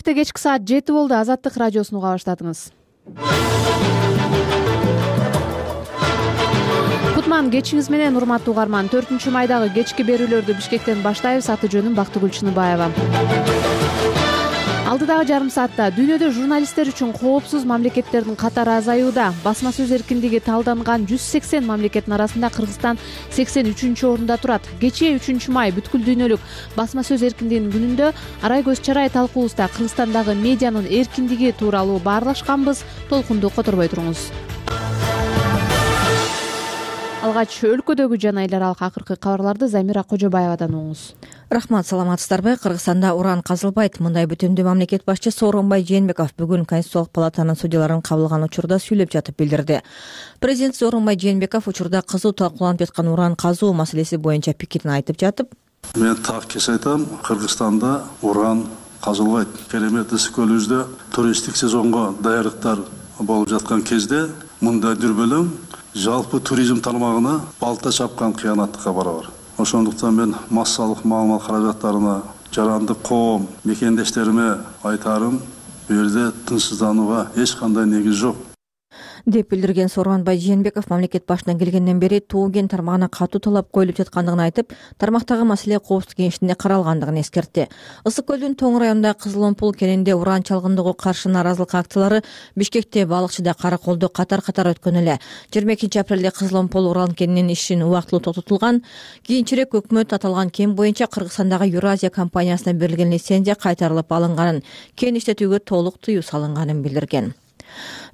Бишкекте кечки саат 7 болду. Азаттык радиосун уга баштадыңыз. Кутман кечиңиз менен, урматтуу угарман. 4-майдагы кечки берүүлөрдү Бишкектен баштайбыз. Аты жөнүм Бактыгүл Чыныбаева. Алдыдагы жарым саатта дүйнөдө журналисттер үчүн коопсуз мамлекеттердин катары азаюуда. Басма сөз эркиндиги талданган 180 мамлекеттин арасында Кыргызстан 83-орунда турат. Кечээ 3-май бүткүл дүйнөлүк басма сөз эркиндигинин күнүндө Арай Көз Чарай талкуубузда Кыргызстандагы медианын эркиндиги тууралуу баарлашканбыз. Толкунду которбой туруңуз. Алгач өлкөдөгү жана эл аралык акыркы кабарларды Замира Кожобаевадан угуңуз. Рахмат, саламатсыздарбы? Кыргызстанда уран казылбайт. Мындай бүтүмдүү мамлекет башчысы Сооронбай Жээнбеков бүгүн Конституциялык палатанын судьяларын кабыл алган учурда сүйлөп жатып билдирди. Президент Сооронбай Жээнбеков учурда кызуу талкууланып жаткан уран казуу маселеси боюнча пикирин айтып жатып, мен так кес айтам, Кыргызстанда уран казылбайт. Керемет ысык көлүбүздө туристтик сезонго даярдыктар болуп жаткан кезде мындай дүрбөлөң жалпы туризм тармагына балта чапкан кыянаттыкка барабар. Ошондуктан мен массалык маалымат каражаттарына, жарандык коом мекендештериме айтарым, бул жерде тынчсызданууга эч кандай негиз жок деп билдирген Сооронбай Жээнбеков мамлекет башына келгенден бери тоо кен тармагына катуу талап коюлуп жаткандыгын айтып, тармактагы маселе коопсуздук кеңешинде каралгандыгын эскертти. Ысык көлдүн Тоң районундагы Кызыломпул кенинде уран чалгындыгы каршы нааразылык акциялары Бишкекте, Балыкчыда, Караколдо катар-катар өткөн эле. 22 апрелде Кызыломпул уран кенинин ишин убактылуу токтотулган. Кийинчерээк өкмөт аталган кен боюнча Кыргызстандагы Евразия компаниясына берилген лицензия кайтарылып алынганын, кен иштетүүгө толук тыюу салынганын билдирген.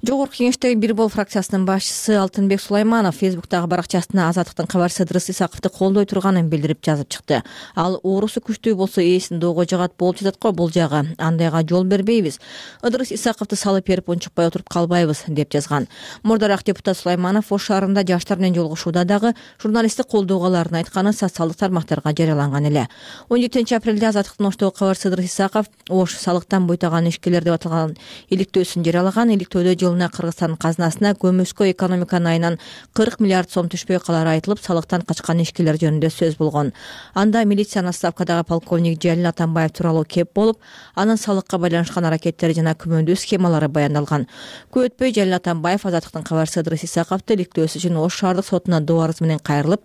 Жогорку кеңештеги Бир Бол фракциясынын башчысы Алтынбек Сулайманов Фейсбуктагы баракчасына Азаттыктын кабарчысы Ыдырыс Исаковду колдой турганын билдирип жазып чыкты. Ал оорусу күчтүү болсо ээсин доого жагат болуп жатат го бул жагы. Андайга жол бербейбиз. Ыдырыс Исаковду салып берип унчукпай отуруп калбайбыз деп жазган. Мурдараак депутат Сулайманов Ош шаарында жаштар менен жолугушууда дагы журналисттик колдоого аларын айтканы социалдык тармактарга жарыяланган эле. 17 апрелде Азаттыктын Оштогу кабарчысы Ыдырыс Исаков Ош салыктан буйтаган ишкерлер деп аталган иликтөөсүн жарыялаган. Иликтөөдө жылына Кыргызстан казынасына көмүскө экономиканын айынан 40 миллиард сом түшпөй калары айтылып, салыктан качкан ишкерлер жөнүндө сөз болгон. Анда милициянын отставкадагы полковник Жалил Атамбаев тууралуу кеп болуп, анын салыкка байланышкан аракеттери жана күмөндүү схемалары баяндалган. Көп өтпөй Жалил Атамбаев Азаттыктын кабарчысы Ыдырыс Исаковду иликтөөсү үчүн Ош шаардык сотуна доо арыз менен кайрылып,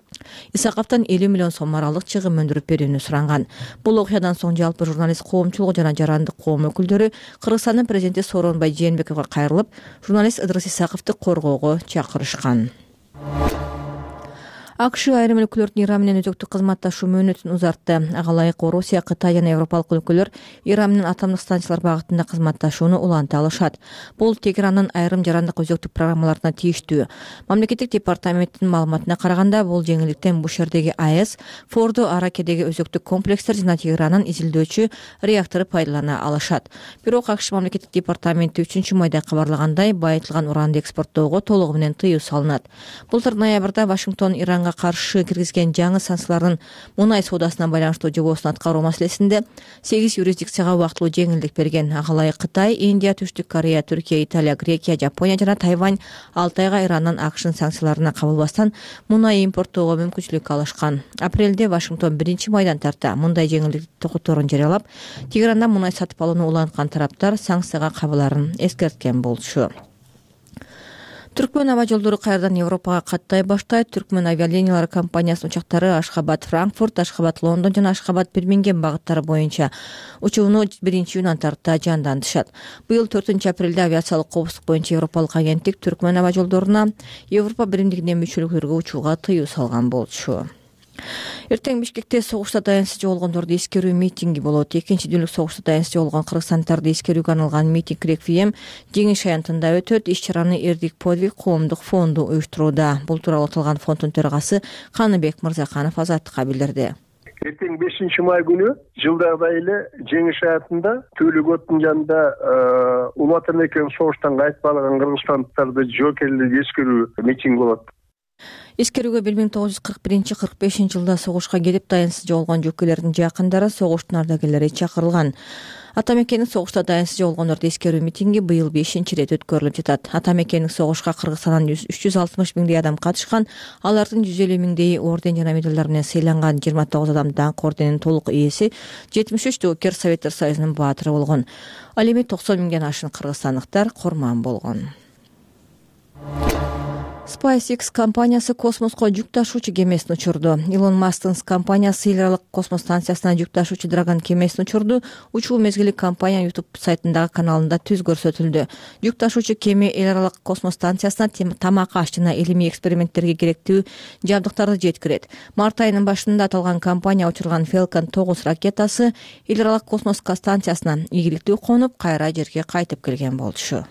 Исаковдон 50 миллион сом аралык чыгым өндүрүп берүүнү суранган. Бул окуядан соң жалпы журналист коомчулугу жана жарандык коом өкүлдөрү Кыргызстандын президенти Сооронбай Жээнбековго кайрылып, журналист Ыдырыс Исаковду коргоого чакырышкан. АКШ айрым өлкөлөрдүн Иран менен өзөктүк кызматташуу мөөнөтүн узартты. Ага ылайык Орусия, Кытай жана Европалык өлкөлөр Иран менен атомдук станциялар багытында кызматташууну уланта алышат. Бул Тегерандын айрым жарандык өзөктүк программаларына тийиштүү. Мамлекеттик департаменттин маалыматына караганда, бул жеңилдиктен Бушердеги АЭС, Фордо Аракедеги өзөктүк комплекстер жана Тегерандын изилдөөчү реактору пайдалана алышат. Бирок АКШ мамлекеттик департаменти 3-майда кабарлагандай, байытылган уранды экспорттоого толугу менен тыюу салынат. Былтыр ноябрда Вашингтон Иранга каршы киргизген жаңы санкциялардын мунай соодасына байланыштуу жобосун аткаруу маселесинде 8 юрисдикцияга убактылуу жеңилдик берген. Ага ылайык Кытай, Индия, Түштүк Корея, Түркия, Италия, Грекия, Жапония жана Тайвань 6 айга Ирандан АКШнын санкцияларына кабылбастан мунай импорттоого мүмкүнчүлүк алышкан. Апрелде Вашингтон 1-майдан тарта мындай жеңилдик токоторун жарыялап, Тегерандан мунай сатып алууну уланткан тараптар санкцияга кабыларын эскерткен болчу. Түркмөн аба жолдору кайрадан Европага каттай баштайт. Түркмөн авиалиниялары компаниясынын учактары Ашхабад-Франкфурт, Ашхабад-Лондон жана Ашхабад-Бирмингем багыттары боюнча учууну 1-июндан тарта жандантышат. Быйыл 4 апрелде авиациялык коопсуздук боюнча Европалык агенттик Түркмөн аба жолдоруна Европа биримдигине мүчөлүктөргө учууга тыюу салган болчу. Эртең Бишкекте согушта таянычсыз жоголгондорду эскерүү митинги болот. 2-дүйнөлүк согушта таянычсыз жоголгон кыргызстандарды эскерүүгө арналган митинг реквием Жеңиш аянтында өтөт. Иш-чараны Эрдик подвиг коомдук фонду уюштурууда. Бул тууралуу аталган фонддун төрагасы Каныбек Мырзаканов Азаттыкка билдирди. Эртең 5-май күнү жылдагыдай эле Жеңиш аянтында Төлөгөттүн жанында Улуу Ата Мекенин согуштан кайтып алган кыргызстандыктарды жоокерлеп эскерүү митинг болот. Эскерүүгө 1941-45 жылда согушка кетип дайынсыз жоголгон жөкөлөрдүн жакындары, согуштун ардагерлери чакырылган. Ата мекенин согушта дайынсыз жоголгондорду эскерүү митинги быйыл 5-чи ирет өткөрүлүп жатат. Ата мекенин согушка Кыргызстандан 360 миңдей адам катышкан. Алардын 150 миңдейи орден жана медалдар менен сыйланган. 29 адам даңк орденинин толук ээси, 73 доокер Советтер Союзунун баатыры болгон. Ал эми 90 миңден ашык кыргызстандыктар курман болгон. SpaceX компаниясы космоско жүк ташуучу кемесин учурду. Илон Масктын компаниясы эл аралык космос станциясына жүк ташуучу Dragon кемесин учурду. Учуу мезгили компания YouTube сайтындагы каналында түз көрсөтүлдү. Жүк ташуучу кеме эл аралык космос станциясына тамак аш жана илимий эксперименттерге керектүү жабдыктарды жеткирет. Март айынын башында аталган компания учурган Falcon 9 ракетасы эл аралык космос станциясына ийгиликтүү конуп, кайра жерге кайтып келген болчу.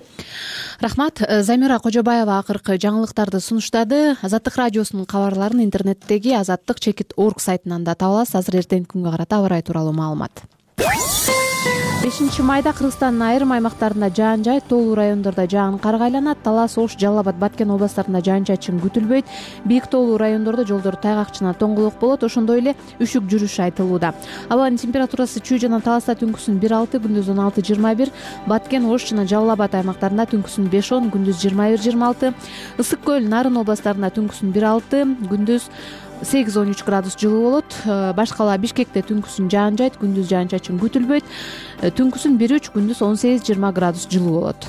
Рахмат. Замира Кожобаева акыркы жаңылыктарды сунуштады. Азаттык радиосунун кабарларын интернеттеги azattik.org сайтынан да таба аласыз. Азыр эртеңки күнгө карата аба ырайы тууралуу маалымат. 5 майда Кыргызстандын айрым аймактарында жаан-жай, тоолуу райондордо жаан карга айланат. Талас, Ош, Жалал Абад, Баткен областтарында жаан-чачын күтүлбөйт. Бийик тоолуу райондордо жолдор тайгак жана тоңголок болот. Ошондой эле үшүк жүрүш айтылууда. Абанын температурасы Чүй жана Таласта түнкүсүн 1-6, күндүз 16-21, Баткен, Ош жана Жалал Абад аймактарында түнкүсүн 5-10, күндүз 21-26, Ысык көл, Нарын областарында түнкүсүн 1-6, күндүз 8-13 градус жылуу болот. Башкала Бишкекте түнкүсүн жаан жайт, күндүз жаан-чачын күтүлбөйт. Түнкүсүн 1-3, күндүз 18-20 градус жылуу болот.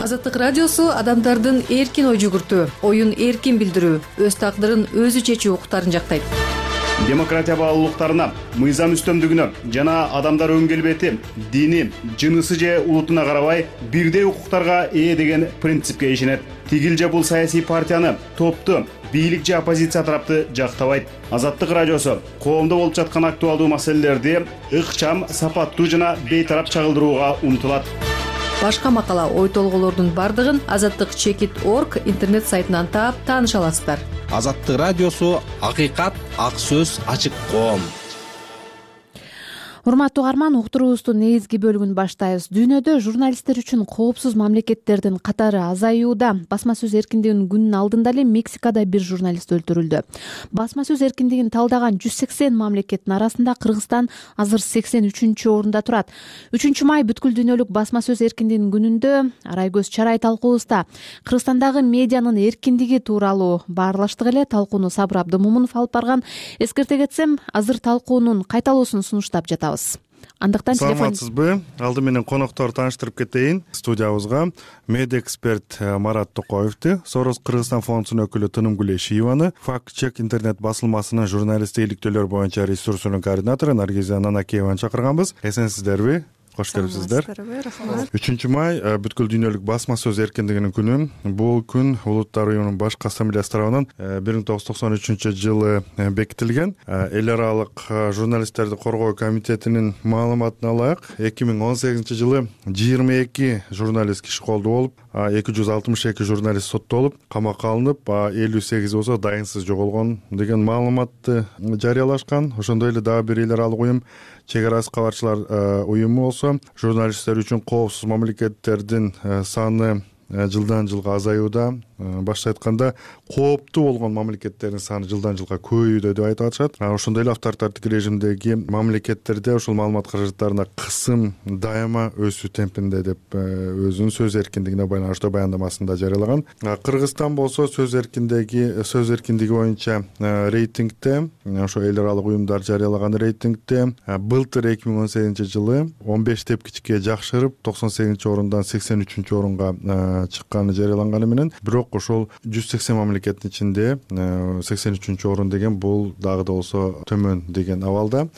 Азаттык радиосу адамдардын эркин ой жүгүртүү, оюн эркин билдирүү, өз тагдырын өзү чечүү укуктарын жактайт. Демократия баалуулуктарына, мыйзам үстөмдүгүнө жана адамдар өн келбети, дини, жынысы же улутуна карабай бирдей укуктарга ээ деген принципке ишенет. Тигил же бул саясий партияны, топту, бийлик же оппозиция тарапты жактабайт. Азаттык радиосу коомдо болуп жаткан актуалдуу маселелерди ыкчам, сапаттуу жана бейтарап чагылдырууга умтулат. Башка макала, ой толгоолордун бардыгын azattik.org интернет сайтынан таап тааныша аласыздар. Азаттык радиосу акыйкат, ак сөз, ачык коом. Урматтуу угарман, уктуруубуздун негизги бөлүгүн баштайбыз. Дүйнөдө журналисттер үчүн коопсуз мамлекеттердин катары азаюуда. Басма сөз эркиндигинин күнүнүн алдында эле Мексикада бир журналист өлтүрүлдү. Басма сөз эркиндигин талдаган 180 мамлекеттин арасында Кыргызстан азыр 83-орунда турат. 3 май бүткүл дүйнөлүк басма сөз эркиндигинин күнүндө Арайгөз Чарай талкуубузда Кыргызстандагы медианын эркиндиги тууралуу баарлаштык эле. Талкууну Сабыр Абдымомунов алып барган. Эскерте кетсем, азыр талкуунун кайталуусун сунуштап жатабыз. Андыктан телефон. Саламатсызбы? Алды менен конокторду тааныштырып кетейин. Студиябызга медиа эксперт Марат Токоевди, Сорос Кыргызстан фондунун өкүлү Тынымгүл Эшиеваны, Факт чек интернет басылмасынын журналисттик иликтөөлөр боюнча ресурсунун координатору Наргиза Нанакееваны чакырганбыз. Эсенсиздерби? Кош келипсиздер. 3 май бүткүл дүйнөлүк басма сөз эркиндигинин күнү. Бул күн Улуттар уюмунун башкы ассамблеясы тарабынан 1993-жылы бекитилген. Эл аралык журналисттерди коргоо комитетинин маалыматына ылайык, 2018-жылы 22 журналист киши колдуу болуп, 262 журналист соттолуп, камакка алынып, 58 болсо дайынсыз жоголгон деген маалыматты жарыялашкан. Ошондой эле дагы бир эл аралык уюм, Чек арасы кабарчылар уюму болсо, журналисттер үчүн коопсуз мамлекеттердин саны жылдан жылга азаюуда. Башка айтканда, кооптуу болгон мамлекеттердин саны жылдан жылга көбөйүүдө деп айтып атышат. Ошондой эле авторитардык режимдеги мамлекеттерде ушул маалымат каражаттарына кысым дайыма өсүү темпинде деп өзүнүн сөз эркиндигине байланыштуу баяндамасында жарыялаган. Кыргызстан болсо сөз эркиндиги боюнча рейтингде, ошо эл аралык уюмдар жарыялаган рейтингде былтыр 2018-жылы 15 тепкичке жакшырып 98-орундан 83-орунга чыкканы жарыяланганы менен, бирок ошол 180 мамлекеттин ичинде 83-орун деген бул дагы да болсо төмөн деген абалда.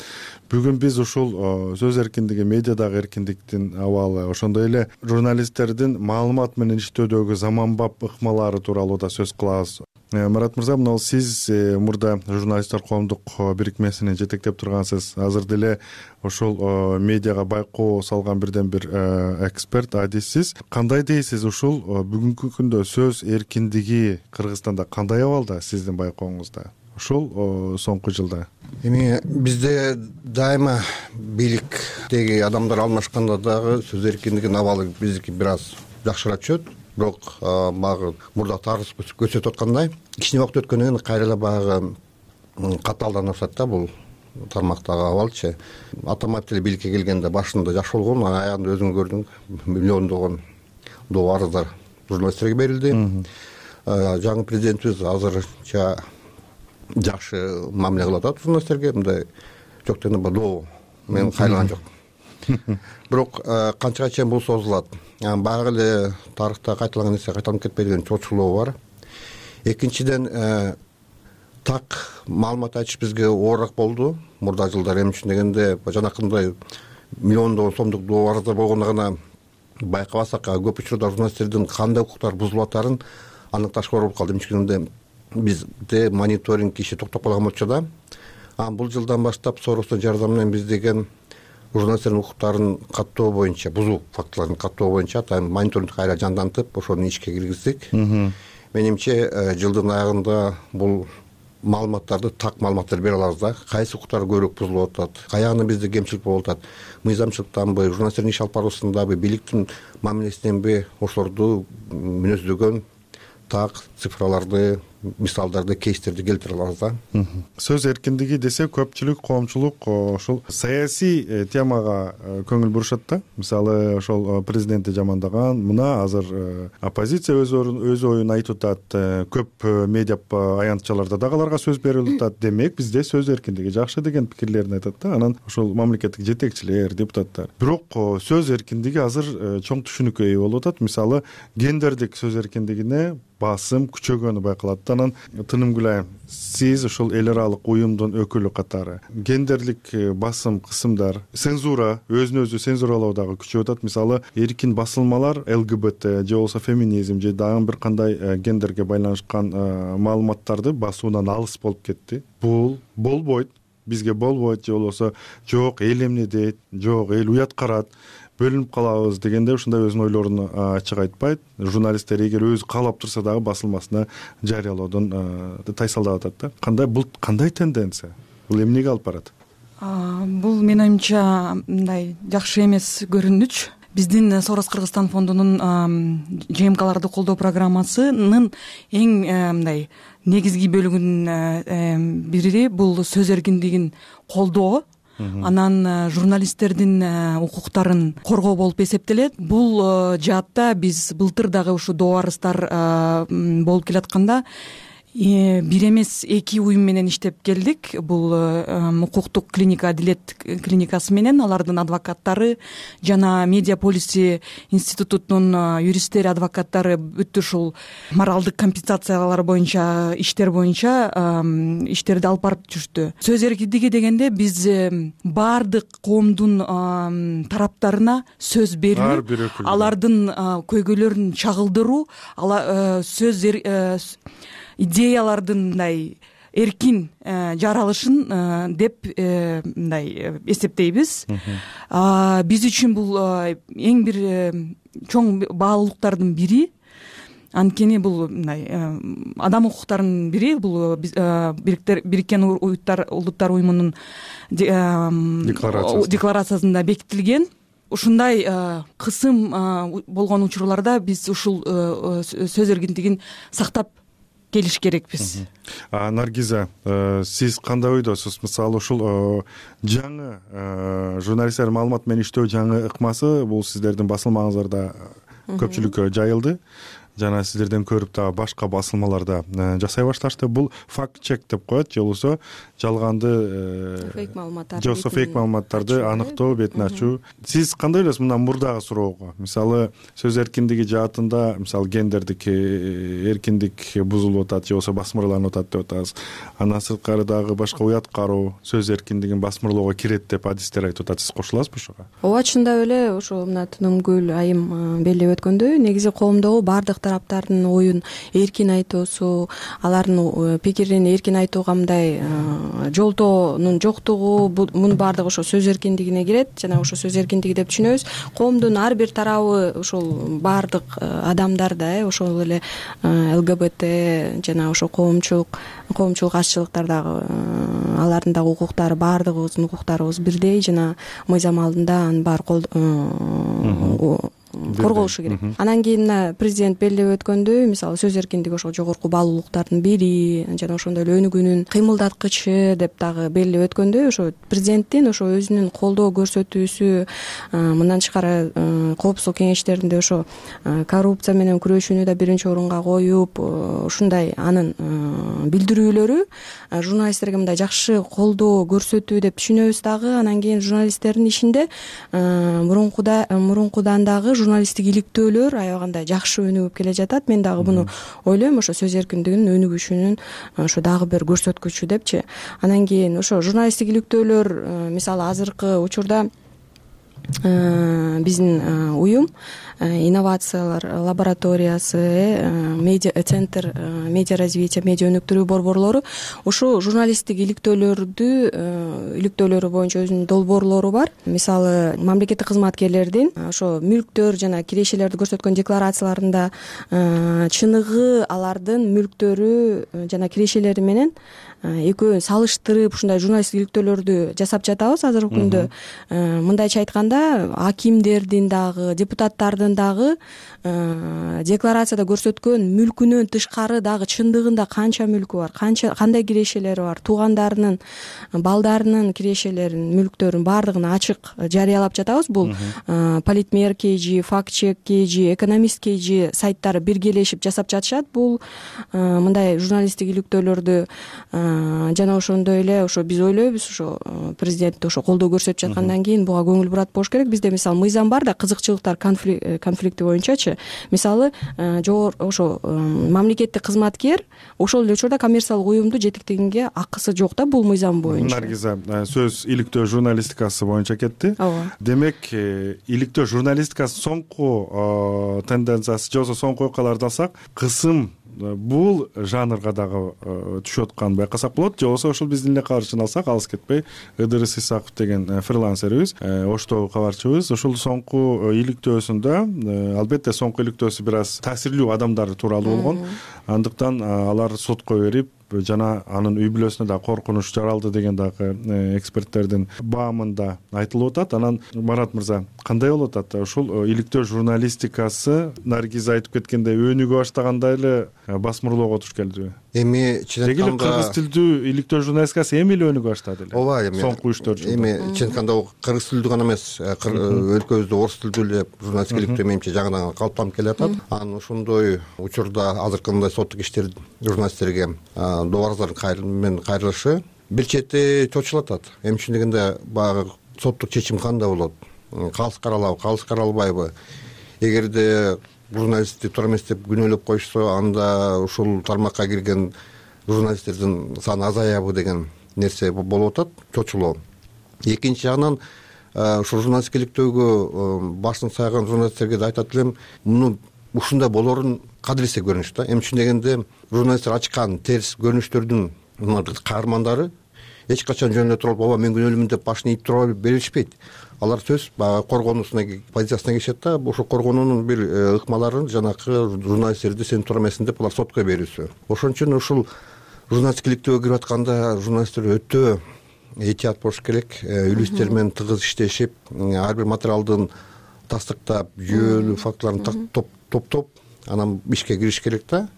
Бүгүн биз ушул сөз эркиндиги, медиадагы эркиндиктин абалы, ошондой эле журналисттердин маалымат менен иштөөдөгү заманбап ыкмалары тууралуу да сөз кылабыз. Марат мырза, мына сиз мурда журналисттер коомдук бирикмесини жетектеп тургансыз. Азыр деле ошол медиага байкоо салган бирден бир эксперт, адиссиз. Кандай дейсиз, ушул бүгүнкү күндө сөз эркиндиги Кыргызстанда кандай абалда сиздин байкооңузда? Ушул соңку жылда. Эми бизде дайыма бийликтеги адамдар алмашканда дагы сөз эркиндигинин абалы биздики бир аз жакшыраак түшөт. бирок баягы мурда тарых көрсөтүп аткандай кичине убакыт өткөндөн кийин кайра эле баягы катаалданып атат да бул тармактагы абалчы. Атамбаев деле бийликке келгенде башында жакшы болгон, аягында өзүң көрдүң, миллиондогон доо арыздар журналисттерге берилди. Жаңы президентибиз азырынча жакшы мамиле кылып атат журналисттерге, мындай жок дегенде доо мен кайрылган жок. Бирок канчага чейин бул созулат? Баягы эле тарыхта кайталанган нерсе кайталанып кетпей деген чоочулоо бар. Экинчиден так маалымат айтыш бизге оорураак болду мурда жылдары. Эмне үчүн дегенде жанакындай миллиондогон сомдук доо арыздар болгондо гана байкабасак, көп учурда журналисттердин кандай укуктар бузулуп атарын аныкташ оор болуп калды. Эмне үчүн дегенде бизде мониторинг иши токтоп калган болчу да. Бул жылдан баштап Соростун жардамы менен биз деген журналисттердин укуктарын каттоо боюнча, бузуу фактыларын каттоо боюнча мониторинг кайра жандантып, ошону ишке киргиздик. Менимче жылдын аягында бул маалыматтарды, так маалыматтарды бере алабыз да. Кайсы укуктар көбүрөөк бузулуп атат, каягында бизде кемчилик болуп атат, мыйзамчылыктанбы, журналисттердин иш алып баруусундабы, бийликтин мамилесиненби, ошолорду мүнөздөгөн так цифраларды, мисалдарды, кейстерди келтире алабыз да. Сөз эркиндиги десе көпчүлүк, коомчулук ошол саясий темага көңүл бурушат да. Мисалы ошол президентти жамандаган, мына азыр оппозиция өз оюн айтып атат, көп медиа аянтчаларда дагы аларга сөз берилип атат. Демек бизде сөз эркиндиги жакшы деген пикирлерин айтат да. Анан ошол мамлекеттик жетекчилер, депутаттар. Бирок сөз эркиндиги азыр чоң түшүнүккө ээ болуп атат. Мисалы гендердик сөз эркиндигине басым күчөгөнү байкалат. Анан Тынымгүл айым, сиз ошол эл аралык уюмдун өкүлү катары гендерлик басым кысымдар, цензура, өзүн өзү цензуралоо дагы күчөп атат. Мисалы эркин басылмалар ЛГБТ же болбосо феминизм же дагы бир кандай гендерге байланышкан маалыматтарды басуудан алыс болуп кетти. Бул болбойт, бизге болбойт же болбосо жок эл эмне дейт, жок эл уят карат, бөлүнүп калабыз дегенде ушундай өзүнүн ойлорун ачык айтпайт. Журналисттер эгер өзү каалап турса дагы басылмасына жарыялоодон тайсалдап атат да. Бул кандай тенденция? Бул эмнеге алып барат? Бул менин оюмча мындай жакшы эмес көрүнүч. Биздин Сорос Кыргызстан фондунун ЖМКларды колдоо программасынын эң мындай негизги бөлүгүнүн бири бул сөз эркиндигин колдоо. Анан журналисттердин укуктарын коргоо болуп эсептелет. Бул жаатта биз былтыр дагы ушу доо арыздар болуп келатканда бир эмес 2 уюм менен иштеп келдик. Бул укуктук клиника Адилет клиникасы менен алардын адвокаттары жана Медиа полиси институтунун юристтери, адвокаттары бүт ушул моралдык компенсациялар боюнча, иштер боюнча иштерди алып барып жүрүштү. Сөз эркиндиги дегенде биз баардык коомдун тараптарына сөз берүү, алардын көйгөйлөрүн чагылдыруу, сөз идеялардын мындай эркин жаралышын деп мындай эсептейбиз. Биз үчүн бул эң бир чоң баалуулуктардын бири. Анткени бул мындай адам укуктарынын бири, бул Бириккен Улуттар уюмунун декларациясында бекитилген. Ушундай кысым болгон учурларда биз ушул сөз эркиндигин сактап келиш керекпиз. Наргиза, сиз кандай ойдосуз? Мисалы ушул жаңы журналисттер маалымат менен иштөө жаңы ыкмасы бул сиздердин басылмаңыздарда көпчүлүккө жайылды. Жана сиздерден көрүп дагы башка басылмаларда жасай башташты. Бул факт-чек деп коет, же болбосо жалганды фейк маалыматтарды аныктоо, бетин ачуу. Сиз кандай ойлойсуз мындан мурдагы суроого? Мисалы сөз эркиндиги жаатында, мисалы гендердик эркиндик бузулуп атат, же болбосо басмырланып атат деп атабыз. Андан сырткары дагы башка уят кароо, сөз эркиндигин басмырлоого кирет деп адистер айтып атат. Сиз кошуласызбы ошого? Ооба, чындап эле ошо мына Тынымгүл айым белгилеп өткөндөй, негизи коомдогу баардык тараптардын оюн эркин айтуусу, алардын пикирин эркин айтууга мындай жолтоонун жоктугу, мунун баардыгы ошо сөз эркиндигине кирет. Жана ошо сөз эркиндиги деп түшүнөбүз. Коомдун ар бир тарабы, ошол баардык адамдар да, ошол эле ЛГБТ жана ошо коомчулук азчылыктар дагы, алардын дагы укуктары, баардыгыбыздын укуктарыбыз бирдей жана мыйзам алдында анын баары коргоушу керек. Анан кийин мына президент белгилеп өткөндөй, мисалы сөз эркиндиги ошол жогорку баалуулуктардын бири жана ошондой эле өнүгүүнүн кыймылдаткычы деп дагы белгилеп өткөндөй, ошо президенттин ошо өзүнүн колдоо көрсөтүүсү, мындан тышкары коопсуздук кеңештеринде ошо коррупция менен күрөшүүнү да биринчи орунга коюп, ушундай анын билдирүүлөрү журналисттерге мындай жакшы колдоо көрсөтүү деп түшүнөбүз дагы. Анан кийин журналисттердин ишинде мурункудан дагы журналисттик иликтөөлөр аябагандай жакшы өнүгүп келе жатат. Мен дагы муну ойлойм, ошо сөз эркиндигинин өнүгүшүнүн ошо дагы бир көрсөткүчү депчи. Анан кийин ошо журналисттик иликтөөлөр, мисалы азыркы учурда биздин уюм инновациялар лабораториясы, медиа центр медиа развития, медиа өнүктүрүү борборлору ушул журналисттик иликтөөлөрү боюнча өзүнүн долбоорлору бар. Мисалы мамлекеттик кызматкерлердин ошо мүлктөр жана кирешелерди көрсөткөн декларацияларында чыныгы алардын мүлктөрү жана кирешелери менен экөөнүн салыштырып ушундай журналисттик иликтөөлөрдү жасап жатабыз азыркы күндө. Мындайча айтканда, акимдердин дагы, депутаттардын дагы декларацияда көрсөткөн мүлкүнөн тышкары дагы чындыгында канча мүлкү бар, кандай кирешелери бар, туугандарынын, балдарынын кирешелерин, мүлктөрүн баардыгын ачык жарыялап жатабыз. Бул Политмер KG, Фактчек KG, Экономист KG сайттары биргелешип жасап жатышат. Бул мындай журналисттик иликтөөлөрдү жана ошондой эле ошо биз ойлойбуз, ошо президент ошо колдоо көрсөтүп жаткандан кийин буга көңүл бурат болуш керек. Бизде мисалы мыйзам бар да, кызыкчылыктар конфликти боюнчачы. Мисалы ошо мамлекеттик кызматкер ошол эле учурда коммерциялык уюмду жетектегенге акысы жок да, бул мыйзам боюнча. Наргиза, сөз иликтөө журналистикасы боюнча кетти. Ооба. Демек, иликтөө журналистикасынын соңку тенденциясы же болбосо соңку окуяларды алсак, кысым бул жанрга дагы түшүп атканын байкасак болот. Же болбосо ушул биздин эле кабарчыны алсак, алыс кетпей Ыдырыс Исаков деген фрилансерибиз, Оштогу кабарчыбыз, ушул соңку иликтөөсүндө албетте соңку иликтөөсү бир аз таасирлүү адамдар тууралуу болгон. Андыктан алар сотко берип жана анын үй бүлөсүнө да коркунуч жаралды деген дагы эксперттердин баамында айтылып атат. Анан Марат мырза, кандай болуп атат ушул иликтөө журналистикасы Наргиз айтып кеткендей өнүгө баштаганда эле басмырлоого туш келдиби? Эми чын айтканда кыргыз тилдүү иликтөө журналистикасы эми эле өнүгө баштады эле. Ооба, эми соңку 3-4 жылда. Эми чын айтканда кыргыз тилдүү гана эмес, өлкөбүздө орус тилдүү эле журналистика иликтөө менимче жаңыдан калыптанып келатат. Анан ошондой учурда азыркындай соттук иштер журналисттерге добураздардын кайрылышы бир чети чочулатат. Эми чын дегенде баягы соттук чечим кандай болот? Калыс каралабы, калыс каралбайбы? Эгерде журналистти туура эмес деп күнөөлөп коюшса, анда ушул тармакка кирген журналисттердин саны азаябы деген нерсе болуп атат, чочулоо. Экинчи жагынан ушул журналистика иликтөөгө башын сайган журналисттерге да айтат элем, муну ушундай болорун кадырлесе көрүнүш да. Эми чын дегенде журналисттер ачкан терс көрүнүштөрдүн каармандары эч качан жөн эле туруп, ооба мен күнөөлүүмүн деп башын ийип тура беришпейт. Алар сөз баягы коргонуусуна позициясына киришет да, ошол коргонуунун бир ыкмаларын жанакы журналисттерди сен туура эмессиң деп алар сотко берүүсү. Ошон үчүн ушул журналистика иликтөөгө кирип атканда журналисттер өтө этият болуш керек, үлүстер менен тыгыз иштешип, ар бир материалдын тастыктап, жүйөлүү фактыларын топтоп, анан ишке кириш керек да.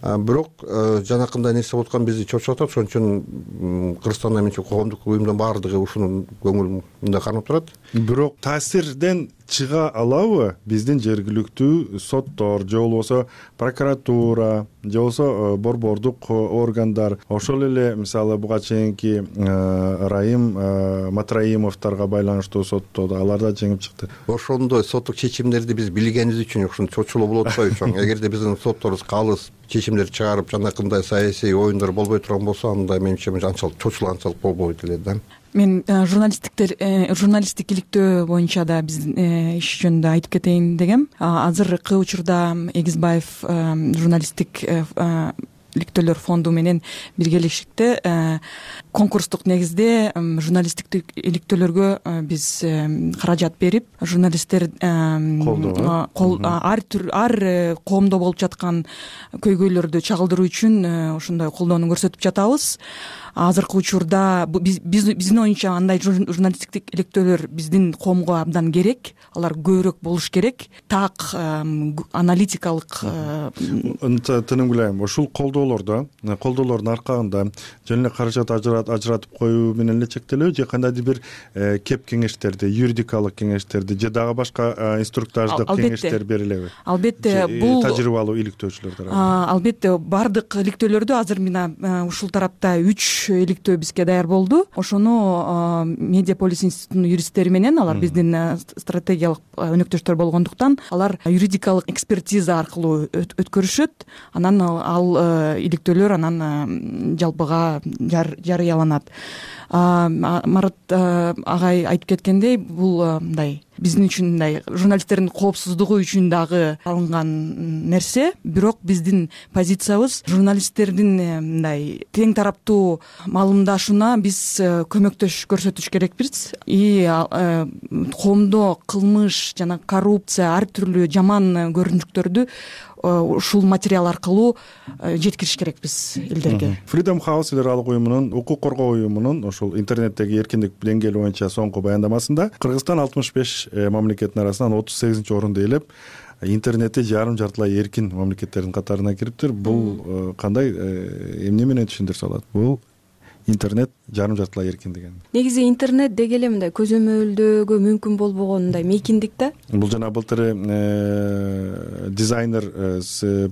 Бирок жанакындай нерсе болуп аткан бизди чочуп атат. Ошон үчүн Кыргызстанда менче коомдук уюмдун баардыгы ушуну көңүл кармап турат. Бирок таасирден чыга алабы биздин жергиликтүү соттор же болбосо прокуратура же болбосо борбордук органдар, ошол эле мисалы буга чейинки Райым Матраимовдорго байланыштуу соттоодо алар да жеңип чыкты. Ошондой соттук чечимдерди биз билгенибиз үчүн ушуну чочулоо болуп атпайбы чоң? Эгерде биздин сотторубуз калыс чечимдер чыгарып, жанакындай саясий оюндар болбой турган болсо, анда менимче анчалык чочулганчалык болбойт эле да. Мен журналисттик иликтөө боюнча да биздин иш жөнүндө айтып кетейин дегем. Азыркы учурда Эгизбаев журналисттик иликтөөлөр фонду менен биргелешикте конкурстук негизде журналисттик иликтөөлөргө биз каражат берип журналисттер ар коомдо болуп жаткан көйгөйлөрдү чагылдыруу үчүн ошондой колдоону көрсөтүп жатабыз. Азыркы учурда биздин оюнча андай журналисттик иликтөөлөр биздин коомго абдан керек, алар көбүрөөк болуш керек. Так аналитикалык тыным билем ушул колдоолордун аркагында жөн эле каражат ажыратып коюу менен эле чектелеби же кандайдыр бир кеп кеңештерди, юридикалык кеңештерди же дагы башка инструктаждык кеңештер берилеби? Албетте, бул тажрыйбалуу иликтөөчүлөр тарабынан. Албетте, бардык иликтөөлөрдү азыр мына ушул тарапта 3 иликтөө бизге даяр болду. Ошону Медиаполис институтунун юристтери менен, алар биздин стратегиялык өнөктөштөр болгондуктан, алар юридикалык экспертиза аркылуу өткөрүшөт. Анан ал иликтөөлөр анан жалпыга жарыяланат. Марат агай айтып кеткендей, бул мындай биздин үчүн мындай журналисттердин коопсуздугу үчүн дагы алынган нерсе. Бирок биздин позициябыз журналисттердин мындай тең тараптуу маалымдашууна биз көмөктөш көрсөтүш керекпиз. И коомдо кылмыш жана коррупция, ар түрлүү жаман көрүнүктөрдү ушул материал аркылуу жеткириш керекпиз элдерге. Freedom House эл аралык уюмунун, укук коргоо уюмунун ошол интернеттеги эркиндик деңгээли боюнча соңку баяндамасында Кыргызстан 65 мамлекеттин арасынан 38-орунду ээлеп, интернетти жарым-жартылай эркин мамлекеттердин катарына кириптир. Бул кандай эмне менен түшүндүрсө болот? Бул интернет жарым-жартылай эркин деген. Негизи интернет деги эле мындай көзөмөлдөөгө мүмкүн болбогон мындай мейкиндик да. Бул жана былтыр дизайнер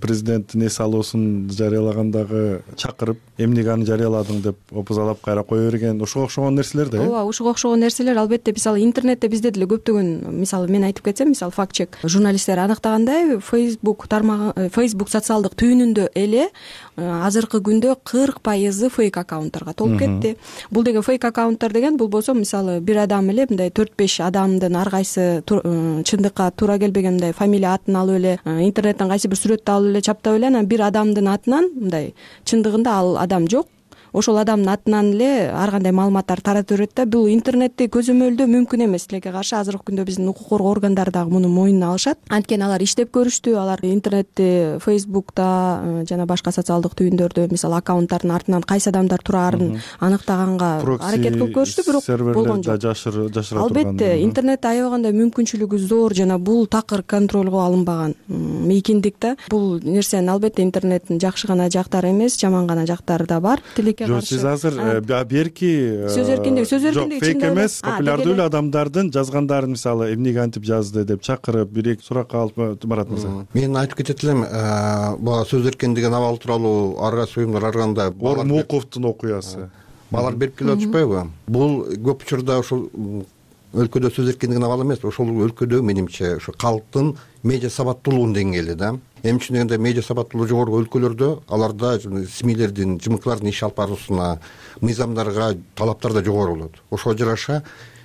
президент эс алуусун жарыялагандагы чакырып, эмнеге аны жарыяладың деп опузалап кайра кое берген, ошого окшогон нерселер да. Ооба, ошого окшогон нерселер. Албетте, мисалы интернетте бизде деле көптөгөн, мисалы мен айтып кетсем, мисалы факт-чек журналисттер аныктагандай, Facebook тармагы, Facebook социалдык түйүнүндө эле азыркы күндө 40% фейк аккаунттарга толуп кетти. Бул деген фейк аккаунттар деген, бул болсо мисалы бир адам эле мындай 4-5 адамдын ар кайсы чындыкка туура келбеген мындай фамилия атын алып эле, интернеттен кайсы бир сүрөттү алып эле чаптап эле, анан бир адамдын атынан мындай чындыгында ал адам жок, ошол адамдын атынан эле ар кандай маалыматтар таратып берет да. Бул интернетти көзөмөлдөө мүмкүн эмес. Тилекке каршы азыркы күндө биздин укук коргоо органдары дагы муну мойнуна алышат. Анткени алар иштеп көрүштү, алар интернетти, Facebook'та жана башка социалдык түйүндөрдө мисалы аккаунттардын артынан кайсы адамдар турарын аныктаганга аракет кылып көрүштү, бирок болгон жок. Жашыра турган. Албетте, интернетте аябагандай мүмкүнчүлүгү зор жана бул такыр контролго алынбаган мейкиндик да. Бул нерсенин албетте интернеттин жакшы гана жактары эмес, жаман гана жактары да бар. Жок, сиз азыр берки сөз эркиндиги жок, фейк эмес, популярдуу эле адамдардын жазгандарын, мисалы эмнеге антип жазды деп чакырып, бир-эки суракка алып, Марат мырза. Мен айтып кетет элем, бул сөз эркиндигин абалы тууралуу ар кайсы уюмдар ар кандай Ормуковдун окуясы. Балар берип келип атышпайбы? Бул көп учурда ушул өлкөдө сөз эркиндигин абалы эмес, ошол өлкөдө менимче ушу калктын медиа сабаттуулугунун деңгээли да. Эмне үчүн дегенде, медиа сабаттуулугу жогору өлкөлөрдө аларда СМИлердин, ЖМКлардын иш алып баруусуна, мыйзамдарга талаптар да жогору болот. Ошого жараша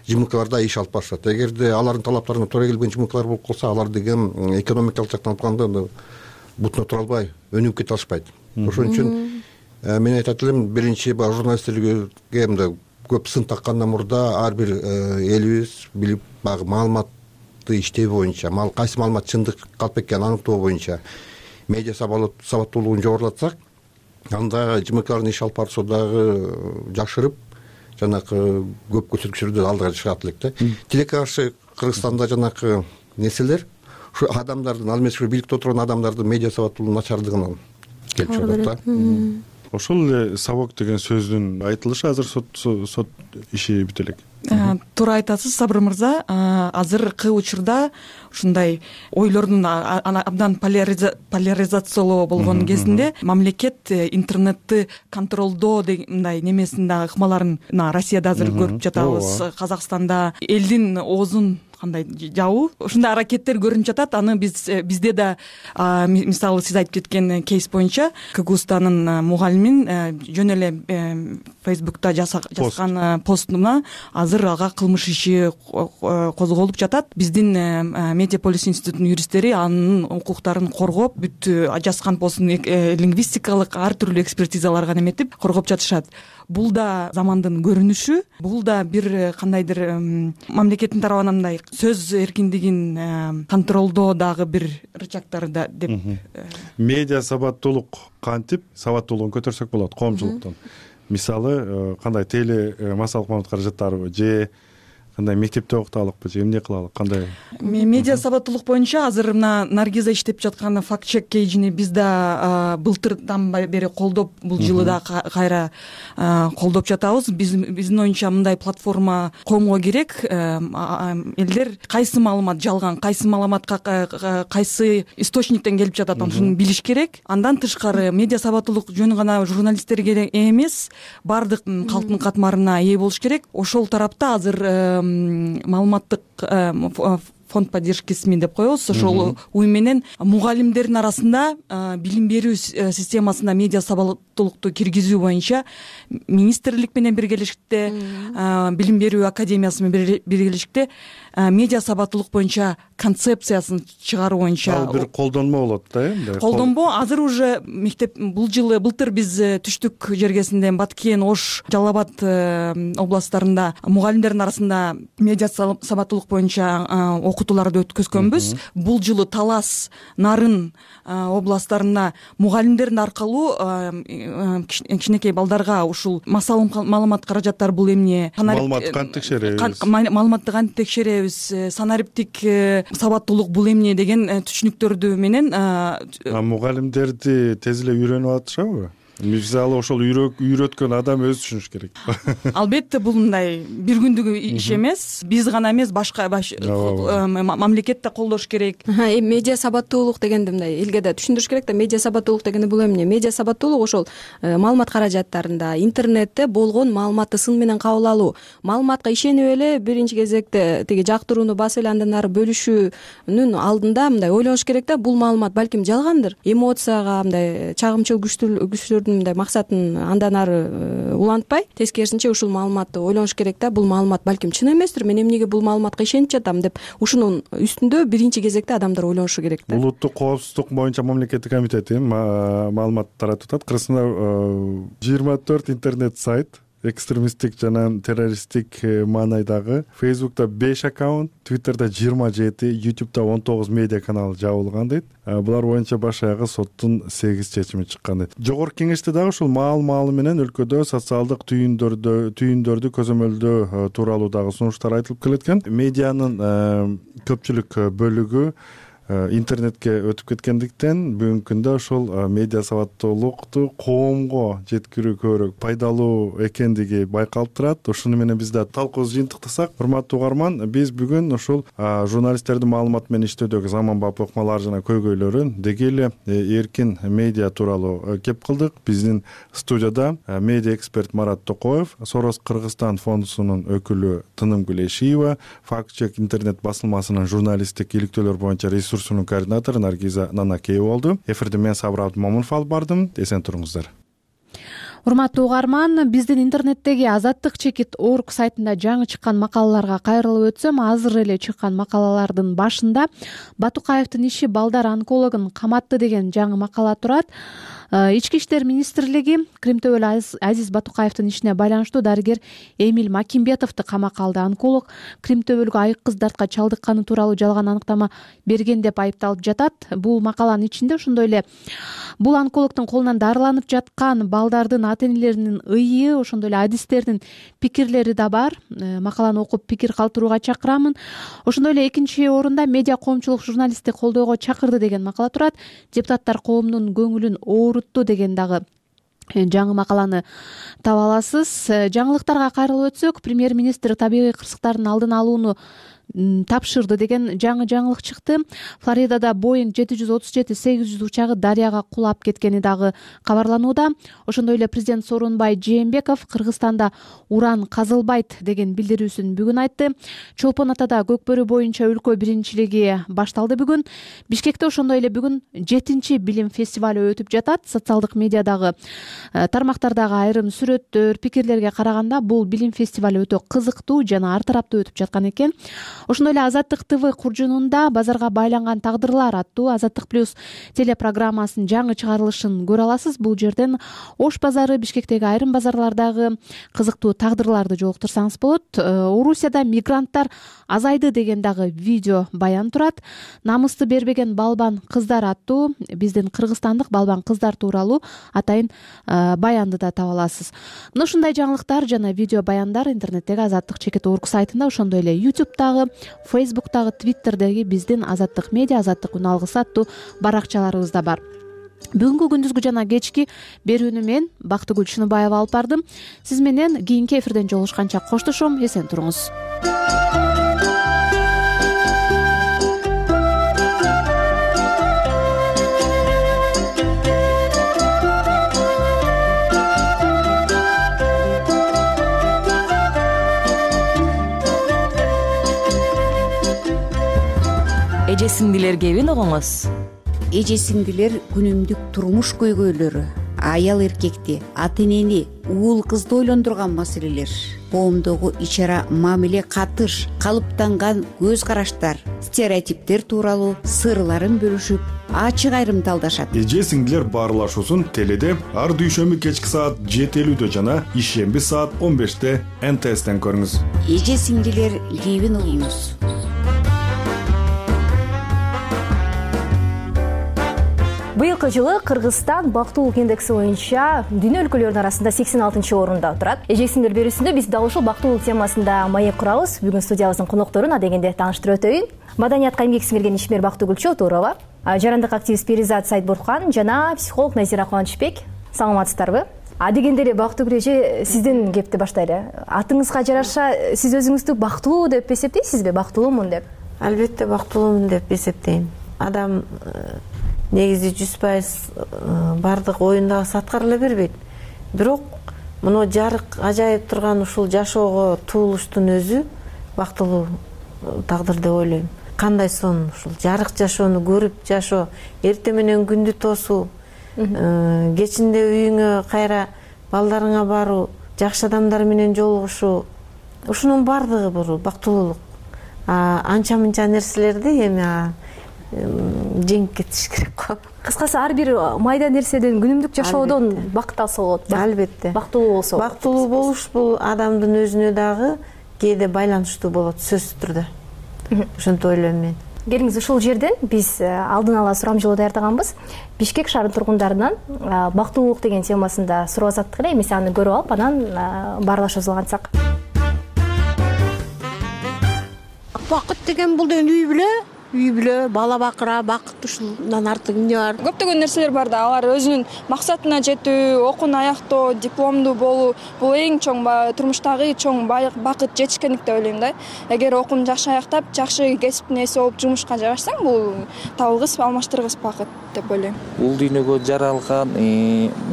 ЖМКларда иш алып барышат. Эгерде алардын талаптарына туура келбеген ЖМКлар болуп калса, алар деген экономикалык жактан алганда бутуна тура албай, өнүгүп кете алышпайт. Ошон үчүн мен айтат элем, биринчи журналисттерге мындай көп сын таккандан мурда ар бир элибиз билип, баягы маалыматты иштөө боюнча, кайсы маалымат чындык калп экенин аныктоо боюнча медиа сабаттуулугун жогорулатсак, анда ЖМКлардын иш алып баруусу дагы жакшырып, жанакы көп көрсөткүчтөрдө алдыга чыгат элек да. Тилекке каршы Кыргызстанда жанакы нерселер ушу адамдардын, ал эмес ушу бийликте отурган адамдардын медиа сабаттуулугунун начардыгынан келип чыгат да. Ошол эле сабок деген сөздүн айтылышы азыр сот иши бүтө элек. Туура айтасыз, Сабыр мырза. Азыркы учурда ушундай ойлордун абдан поляризациялоо болгон кезинде мамлекет интернетти контролдоо мындай немесин дагы ыкмаларын Россияда азыр көрүп жатабыз. Казакстанда элдин оозун кандай жабуу ушундай аракеттер көрүнүп жатат. Аны бизде да мисалы сиз айтып кеткен кейс боюнча КГУ-станын мугалимин жөн эле Facebook'та жазган постуна азыр ага кылмыш иши козголуп жатат. Биздин Медиаполис институтунун юристтери анын укуктарын коргоп, бүт жазган постун лингвистикалык ар түрдүү экспертизаларга неметип коргоп жатышат. Бул да замандын көрүнүшү, бул да бир кандайдыр мамлекеттин тарабынан мындай сөз эркиндигин контролдоо дагы бир рычагтары да деп. Медиа сабаттуулук кантип сабаттуулугун көтөрсөк болот коомчулуктун? Мисалы кандай теле массалык маалымат каражаттарыбы же кандай мектепте окуталыкпы же эмне кылалык, кандай? Медиа сабаттуулук боюнча азыр мына Наргиза иштеп жаткан факт чек кейжини биз да былтырдан бери колдоп, бул жылы да кайра колдоп жатабыз. Биздин оюнча мындай платформа коомго керек. Элдер кайсы маалымат жалган, кайсы маалыматка кайсы источниктен келип жатат, ошону билиш керек. Андан тышкары медиа сабаттуулук жөн гана журналисттерге эмес, баардык калктын катмарына ээ болуш керек. Ошол тарапта азыр маалыматтык фонд поддержки СМИ деп коебуз. Ошол уюм менен мугалимдердин арасында билим берүү системасына медиа сабаттуулукту киргизүү боюнча министрлик менен биргелешикте, билим берүү академиясы менен биргелешикте медиа сабаттуулук боюнча концепциясын чыгаруу боюнча ал бир колдонмо болот да, эми. Колдонмо азыр уже мектеп бул жылы былтыр биз түштүк жергесинде Баткен, Ош, Жалал Абад областтарында мугалимдердин арасында медиа сабаттуулук боюнча окутууларды өткөзгөнбүз. Бул жылы Талас, Нарын областтарында мугалимдердин аркылуу кичинекей балдарга ушул маалымат каражаттары бул эмне, маалыматты кантип текшеребиз, маалыматты кантип текшеребиз, санариптик сабаттуулук бул эмне деген түшүнүктөрдү менен мугалимдерди тез эле үйрөнүп атышабы? Мисалы ошол үйрөткөн адам өзү түшүнүш керек. Албетте бул мындай бир күндүк иш эмес. Биз гана эмес, башка мамлекет да колдош керек. Медиа сабаттуулук дегенди мындай элге да түшүндүрүш керек да. Медиа сабаттуулук дегенде бул эмне? Медиа сабаттуулук ошол маалымат каражаттарында, интернетте болгон маалыматты сын менен кабыл алуу, маалыматка ишенип эле биринчи кезекте тиги жактырууну басып эле андан ары бөлүшүүнүн алдында мындай ойлонуш керек да. Бул маалымат балким жалгандыр. Эмоцияга мындай чагымчыл күчтөр мындай максатын андан ары улантпай, тескерисинче ушул маалыматты ойлонуш керек да. Бул маалымат балким чын эместир, мен эмнеге бул маалыматка ишенип жатам деп ушунун үстүндө биринчи кезекте адамдар ойлонушу керек да. Улуттук коопсуздук боюнча мамлекеттик комитети маалымат таратып атат. Кыргызстанда 24 интернет сайт, экстремисттик жана террористтик маанайдагы, Facebook'та 5 аккаунт, Twitter'да 27, YouTube'да 19 медиа канал жабылган дейт. Булар боюнча баш аягы соттун 8 чечими чыккан дейт. Жогорку кеңеште дагы ушул маал менен өлкөдө социалдык түйүндөрдү көзөмөлдөө тууралуу дагы сунуштар айтылып келеткен. Медианын көпчүлүк бөлүгү интернетке өтүп кеткендиктен бүгүнкү күндө ошол медиа сабаттуулукту коомго жеткирүү көбүрөөк пайдалуу экендиги байкалып турат. Ушуну менен биз да талкуубузду жыйынтыктасак, урматтуу угарман, биз бүгүн ушул журналисттердин маалымат менен иштөөдөгү заманбап ыкмалары жана көйгөйлөрүн деги эле эркин медиа тууралуу кеп кылдык. Биздин студияда медиа эксперт Марат Токоев, Сорос Кыргызстан фондунун өкүлү Тынымгүл Эшиева, Факт чек интернет басылмасынын журналисттик иликтөөлөр боюнча ресурсунун координатору Наргиза Нанакеева болду. Эфирде мен Сабыр Абдымомунов алып бардым. Эсен туруңуздар. Урматтуу угарман, биздин интернеттеги Азаттык.org сайтында жаңы чыккан макалаларга кайрылып өтсөм, азыр эле чыккан макалалардын башында Батукаевдин иши балдар онкологун каматты деген жаңы макала турат. Ички иштер министрлиги Кримтөбөл Азиз Батукаевдин ишине байланыштуу дарыгер Эмиль Макимбетовду камакка алды. Онколог Кримтөбөлгө айык кыз дартка чалдыкканы тууралуу жалган аныктама берген деп айыпталып жатат. Бул макаланын ичинде ошондой эле бул онкологдун колунан дарыланып жаткан балдардын ата-энелеринин ыйы, ошондой эле адистердин пикирлери да бар. Макаланы окуп пикир калтырууга чакырамын. Ошондой эле экинчи орунда медиа коомчулук журналистти колдоого чакырды деген макала турат. Депутаттар коомдун көңүлүн оорутtu деген дагы жаңы макаланы таба аласыз. Жаңылыктарга кайрылып өтсөк, премьер-министр табигый кырсыктардын алдын алууну тапшырды деген жаңы жаңылык чыкты. Флоридада Boeing 737-800 учагы дарыяга кулап кеткени дагы кабарланууда. Ошондой эле президент Сооронбай Жээнбеков Кыргызстанда уран казылбайт деген билдирүүсүн бүгүн айтты. Чолпон Атада Көкбөрү боюнча өлкө биринчилиги башталды бүгүн. Бишкекте ошондой эле бүгүн 7-чи билим фестивалю өтүп жатат. Социалдык медиадагы тармактардагы айрым сүрөттөр, пикирлерге караганда бул билим фестивалю өтө кызыктуу жана ар тараптуу өтүп жаткан экен. Ошондой эле Азаттык ТВ куржунунда базарга байланган тагдырлар аттуу Азаттык плюс телепрограммасынын жаңы чыгарылышын көрө аласыз. Бул жерден Ош базары, Бишкектеги айрым базарлардагы кызыктуу тагдырларды жолуктурсаңыз болот. Орусияда мигранттар азайды деген дагы видео баян турат. Намысты бербеген балбан кыздар аттуу биздин кыргызстандык балбан кыздар тууралуу атайын баянды да таба аласыз. Мына ушундай жаңылыктар жана видео баяндар интернеттеги Азаттык.org сайтында, ошондой эле YouTube'дагы, Facebook'тагы, Twitter'деги биздин Азаттык медиа, Азаттык үн алгысы аттуу баракчаларыбызда бар. Бүгүнкү күндүзгү жана кечки берүүнү мен Бактыгүл Шыныбаева алып бардым. Сиз менен кийинки эфирден жолугушканча коштошом, эсен туруңуз. Эже сиңдилер кебин угуңуз. Эже сиңдилер күнүмдүк турмуш көйгөйлөрү, аял эркекти, ата энени, уул кызды ойлондурган маселелер, коомдогу ич-ара мамиле, катыш, калыптанган көз караштар, стереотиптер тууралуу сырларын бөлүшүп, ачык айрымталдашат. Эже сиңдилер баарлашуусун теледе ар дүйшөмбү кечки саат 7:50 жана ишемби саат 15 НТСтен көрүңүз. Эже сиңдилер кебин угуңуз. Быйылкы жылы Кыргызстан бактылуулук индекси боюнча дүйнө өлкөлөрүнүн арасында 86-орунда турат. Эже сиңдилер берүүсүндө биз дал ушул бактылуулук темасында маек курабыз. Бүгүн студиябыздын конокторун адегенде тааныштырып өтөйүн. Маданиятка эмгек сиңирген ишмер Бактыгүл Чотурова, жарандык активист Перизат Сайдбурхан жана психолог Назира Кубанычбек. Саламатсыздарбы? Адегенде эле Бактыгүл эже, сизден кепти баштайлы. Атыңызга жараша сиз өзүңүздү бактылуу деп эсептейсизби? Бактылуумун деп? Албетте бактылуумун деп эсептейм. Адам негизи 100% бардык оюндагы аткара эле бербейт. Бирок муну жарык ажайып турган ушул жашоого туулуштун өзү бактылуу тагдыр деп ойлойм. Кандай сон ушул жарык жашоону көрүп жашоо, эртең менен күндү тосуу, кечинде үйүңө кайра балдарыңа баруу, жакшы адамдар менен жолугушуу, ушунун бардыгы бул бактылуулук. Анча мынча нерселерди эми жеңип кетиш керек го. Кыскасы ар бир майда нерседен, күнүмдүк жашоодон бакыт алса болот. Албетте. Бактылуу болсо. Бактылуу болуш бул адамдын өзүнө дагы кээде байланыштуу болот, сөзсүз түрдө. Ошентип ойлойм мен. Келиңиз, ушул жерден биз алдын ала сурамжылоо даярдаганбыз. Бишкек шаарынын тургундарынан бактылуулук деген темасында суроо азаттык эле, эмесе аны көрүп алып, анан баарлашабыз кантсак. Бакыт деген бул деген үй бүлө, бала бакыра, бакыт ушундан артык эмне бар? Көптөгөн нерселер бар да, алар өзүнүн максатына жетүү, окууну аяктоо, дипломдуу болуу, бул эң чоң турмуштагы чоң бакыт, жетишкендик деп ойлойм да. Эгер окууну жакшы аяктап, жакшы кесиптин ээси болуп жумушка жайгашсаң, бул табылгыс, алмаштыргыс бакыт деп ойлойм. Бул дүйнөгө жаралган,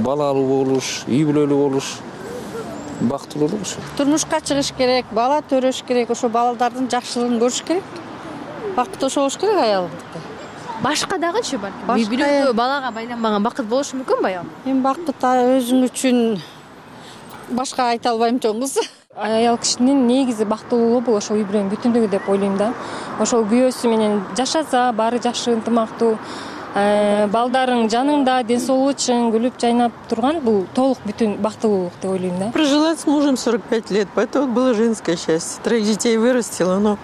балалуу болуш, үй бүлөлүү болуш бактылуулук ушул. Турмушка чыгыш керек, бала төрөш керек, ошо балдардын жакшылыгын көрүш керек. Бакыт ошо болуш керек аялдыкта. Башка дагычы балким? Үй бүлөгө, балага байланбаган бакыт болушу мүмкүнбү аял? Эми бакыт өзүң үчүн башка айта албайм чоңуз. Аял кишинин негизи бактылуулугу бул ошо үй бүлөнүн бүтүндүгү деп ойлойм да. Ошол күйөөсү менен жашаса, баары жакшы, ынтымактуу, балдарың жаныңда, ден соолугу чың, күлүп жайнап турган, бул толук бүтүн бактылуулук деп ойлойм да. Прожила с мужем 45 лет, поэтому было женское счастье. 3 детей вырастила, но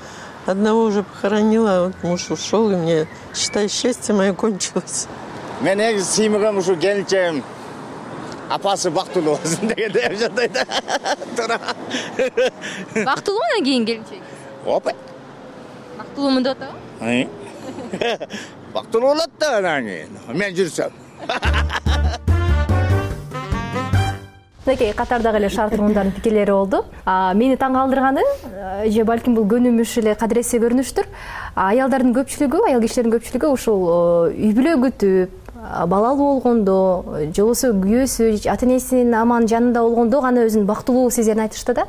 одного уже похоронила, вот муж ушел, и мне, считай, счастье мое кончилось. Мен негизи сыймыгам ушу келинчегим апасы бактылуу болсун деген деп жатат да. Туура. Бактылуу анан кийин келинчеги? Опа. Бактылуумун деп атабы? Бактылуу болот да анан кийин. Мен жүрсөм. мынакей катардагы эле шаар тургундардын пикирлери болду. Мени таң калтырганы же балким бул көнүмүш эле кадыресе көрүнүштүр. Аялдардын көпчүлүгү, аял кишилердин көпчүлүгү ушул үй бүлө күтүп, балалуу болгондо, же болбосо күйөөсү, ата энесинин аман жанында болгондо гана өзүнүн бактылуу сезерин айтышты да.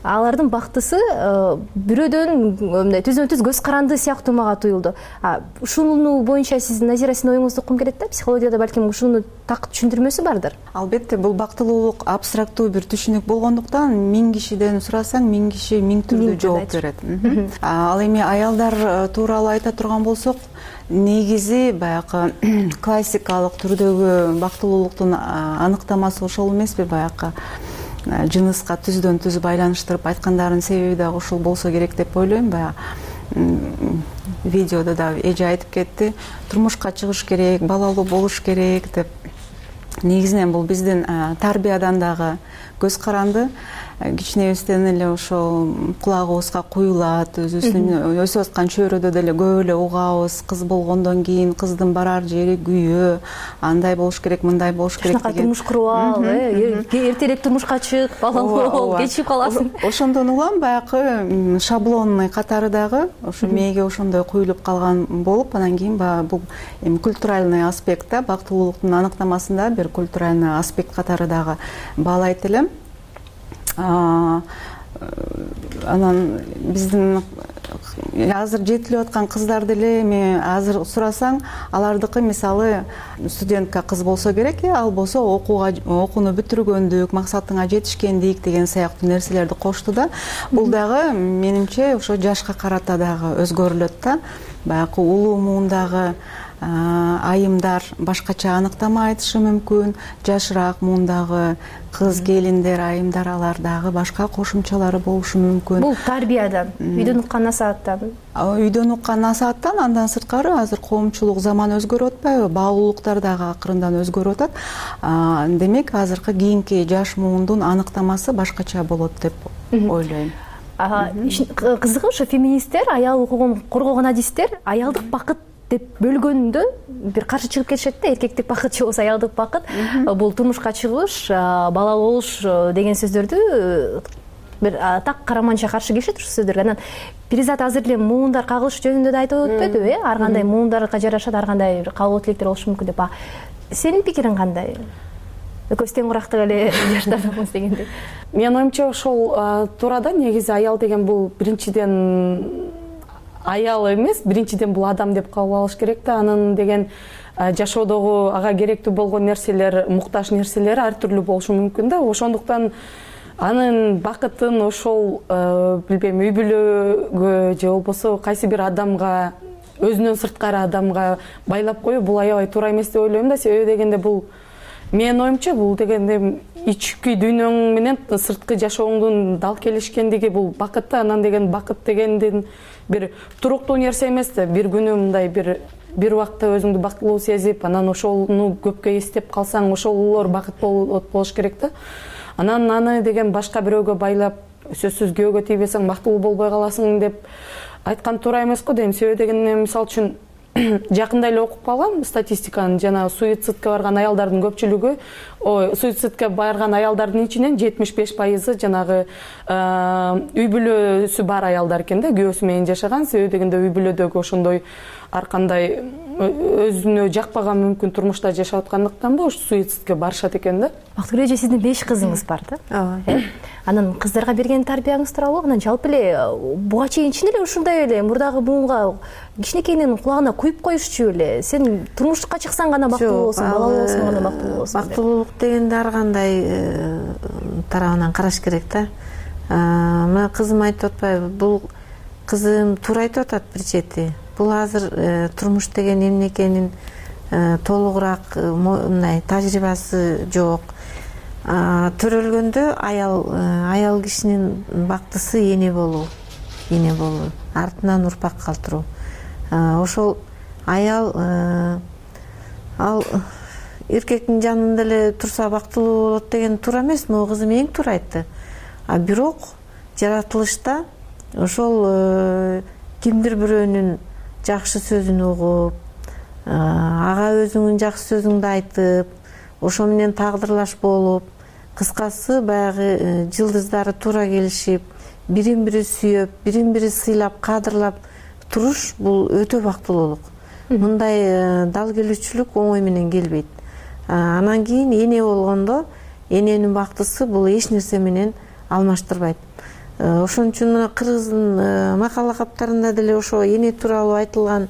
Алардын бактысы бирөөдөн мындай түзмө-түз көз каранды сыяктуу мага туюлду. Ушуну боюнча сиздин Назира, сиздин оюңузду уккум келет да. Психологияда балким ушуну так түшүндүрмөсү бардыр. Албетте, бул бактылуулук абстрактуу бир түшүнүк болгондуктан 1000 кишиден сурасаң, 1000 киши 1000 түрдүү жооп берет. Ал эми аялдар тууралуу айта турган болсок, негизи баягы классикалык түрдөгү бактылуулуктун аныктамасы ошол эмеспи, баягы жыныска түздөн түз байланыштырып айткандарынын себеби дагы ушул болсо керек деп ойлойм. Баягы видеодо да эже айтып кетти, турмушка чыгыш керек, балалуу болуш керек деп. Негизинен бул биздин тарбиядан дагы көз каранды, кичинебизден эле ошол кулагыбызга куюлат, өзүбүздүн өсүп аткан чөйрөдө деле көп эле угабыз, кыз болгондон кийин кыздын барар жери күйөө, андай болуш керек, мындай болуш керек деген. Турмуш куруп ал, эртерээк турмушка чык, балалуу бол, кечип каласың. Ошондон улам баягы шаблонный катары дагы ошо мээге ошондой куюлуп калган болуп, анан кийин баягы бул эми культуральный аспект да, бактылуулуктун аныктамасында бир культуральный аспект катары дагы баалайт элем. Анан биздин азыр жетилип аткан кыздар деле эми азыр сурасаң, алардыкы мисалы студентка кыз болсо керек, ал болсо окууну бүтүргөндүк, максатыңа жетишкендик деген сыяктуу нерселерди кошту да. Бул дагы менимче ошо жашка карата дагы өзгөрүлөт да. Баягы улуу муундагы айымдар башкача аныктама айтышы мүмкүн, жашыраак муундагы кыз келиндер, айымдар, алар дагы башка кошумчалары болушу мүмкүн. Бул тарбиядан, үйдөн уккан насааттан. Үйдөн уккан насааттан, андан сырткары азыр коомчулук заман өзгөрүп атпайбы, баалуулуктар дагы акырындан өзгөрүп атат. Демек, азыркы кийинки жаш муундун аныктамасы башкача болот деп ойлойм. Кызыгы ошо феминисттер, аял укугун коргогон адистер аялдык бакыт деп бөлгөндө бир каршы чыгып кетишет да. Эркектик бакыт же болбосо аялдык бакыт, бул турмушка чыгыш, балалуу болуш деген сөздөрдү бир так караманча каршы келишет ушул сөздөргө. Анан Перизат азыр эле муундар кагылыш жөнүндө да айтып өтпөдүбү? Ар кандай муундарга жарашат, ар кандай кабыл тилектер болушу мүмкүн деп. Сенин пикириң кандай? Экөөбүз тең курактык эле жаштардыкмыз дегендей. Менин оюмча ошол туурада негизи аял деген бул биринчиден аял эмес, биринчиден бул адам деп кабыл алыш керек да. Анын деген жашоодогу ага керектүү болгон нерселер, муктаж нерселери ар түрлүү болушу мүмкүн да. Ошондуктан анын бакытын ошол билбейм, үй бүлөгө же болбосо кайсы бир адамга, өзүнөн сырткары адамга байлап коюу бул аябай туура эмес деп ойлойм да. Себеби дегенде бул менин оюмча бул дегенде ички дүйнөң менен сырткы жашооңдун дал келишкендиги бул бакыт да. Анан деген бакыт дегендин бир туруктуу нерсе эмес да. Бир күнү мындай бир убакта өзүңдү бактылуу сезип, анан ошону көпкө эстеп калсаң, ошолор бакыт болуш керек да. Анан аны деген башка бирөөгө байлап, сөзсүз күйөөгө тийбесең бактылуу болбой каласың деп айткан туура эмес го дейм. Себеби дегенде мисалы үчүн жакында эле окуп калгам статистиканы, жана суицидке барган аялдардын көпчүлүгү, суицидке барган аялдардын ичинен 75% жанагы үй бүлөсү бар аялдар экен да, күйөөсү менен жашаган. Себеби дегенде үй бүлөдөгү ошондой ар кандай өзүнө жакпаган мүмкүн турмушта жашап аткандыктан ошо суицидке барышат экен да. Бактыгүл эже, сиздин 5 кызыңыз бар да? Ооба. Анан кыздарга берген тарбияңыз тууралуу, анан жалпы эле буга чейин чын эле ушундай эле мурдагы буунга кичинекейинен кулагына куюп коюшчу эле? Сен турмушка чыксаң гана бактылуу болосуң, балалуу болсоң гана бактылуу болосуң. Бактылуулук дегенде ар кандай тарабынан караш керек да. Мына кызым айтып атпайбы? Бул кызым туура айтып атат бир чети. Бул азыр турмуш деген эмне экенин толугураак мындай тажрыйбасы жок. Төрөлгөндө аял кишинин бактысы эне болуу, артынан урпак калтыруу. Ошол аял ал эркектин жанында эле турса бактылуу болот деген туура эмес. Могу кызым эң туура айтты. Бирок жаратылышта ошол кимдир бирөөнүн жакшы сөзүн угуп, ага өзүңдүн жакшы сөзүңдү айтып, ошо менен тагдырлаш болуп, кыскасы баягы жылдыздары туура келишип, бирин бири сүйөп, бирин бири сыйлап, кадырлап туруш бул өтө бактылуулук. Мындай дал келүүчүлүк оңой менен келбейт. Анан кийин эне болгондо эненин бактысы бул эч нерсе менен алмаштырбайт. Ошон үчүн мына кыргыздын макала каптарында деле ошо эне тууралуу айтылган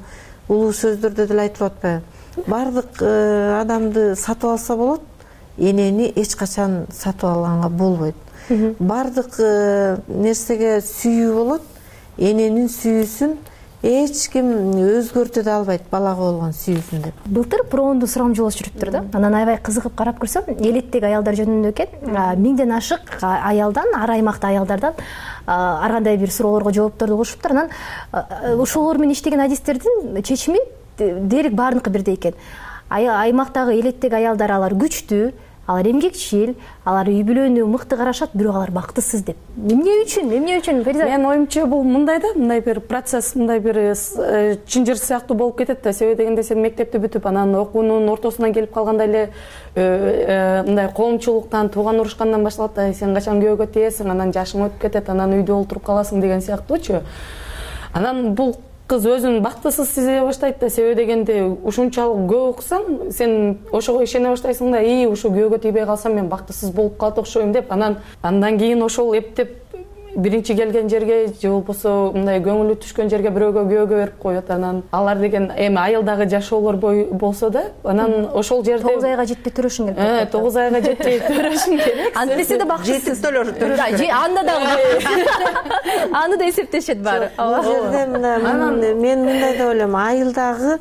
улуу сөздөрдө деле айтылып атпайбы? Бардык адамды сатып алса болот, энени эч качан сатып алганга болбойт. Бардык нерсеге сүйүү болот, эненин сүйүүсүн эч ким өзгөртө да албайт, балага болгон сүйүүсүн деп. Былтыр проонду сурамжылоос жүрүптүр да. Анан аябай кызыгып карап көрсөм, элеттеги аялдар жөнүндө экен, 1000ден ашык аялдан, ар аймакта аялдардан ар кандай бир суроолорго жоопторду угушуптур. Анан ошолор менен иштеген адистердин чечими дээрлик баарыныкы бирдей экен. Аймактагы элеттеги аялдар алар күчтүү, алар эмгекчил, алар үй бүлөнү мыкты карашат, бирок алар бактысыз деп. Эмне үчүн? Менин оюмча бул мындай да, мындай бир процесс, мындай бир чынжыр сыяктуу болуп кетет да. Себеби дегенде сен мектепти бүтүп, анан окуунун ортосунан келип калганда эле мындай коомчулуктан, тууган урушкандан башталат да. Сен качан күйөөгө тиесиң, анан жашың өтүп кетет, анан үйдө олтуруп каласың деген сыяктуучу. Анан бул кыз өзүн бактысыз сезе баштайт да. Себеби дегенде ушунчалык көп окусаң, сен ошого ишене баштайсың да, ушу күйөөгө тийбей калсам мен бактысыз болуп калат окшойм деп. Андан кийин ошол эптеп биринчи келген жерге же болбосо мындай көңүлү түшкөн жерге бирөөгө күйөөгө берип коет. Анан алар деген эми айылдагы жашоолор болсо да, анан ошол жерде 9 айга жетпей төрөшүң керек. 9 айга жетпей төрөшүң керек. Антесе да бактысыз. Анда дагы аны да эсептешет баары. Бул жерде мен мындай деп ойлойм, айылдагы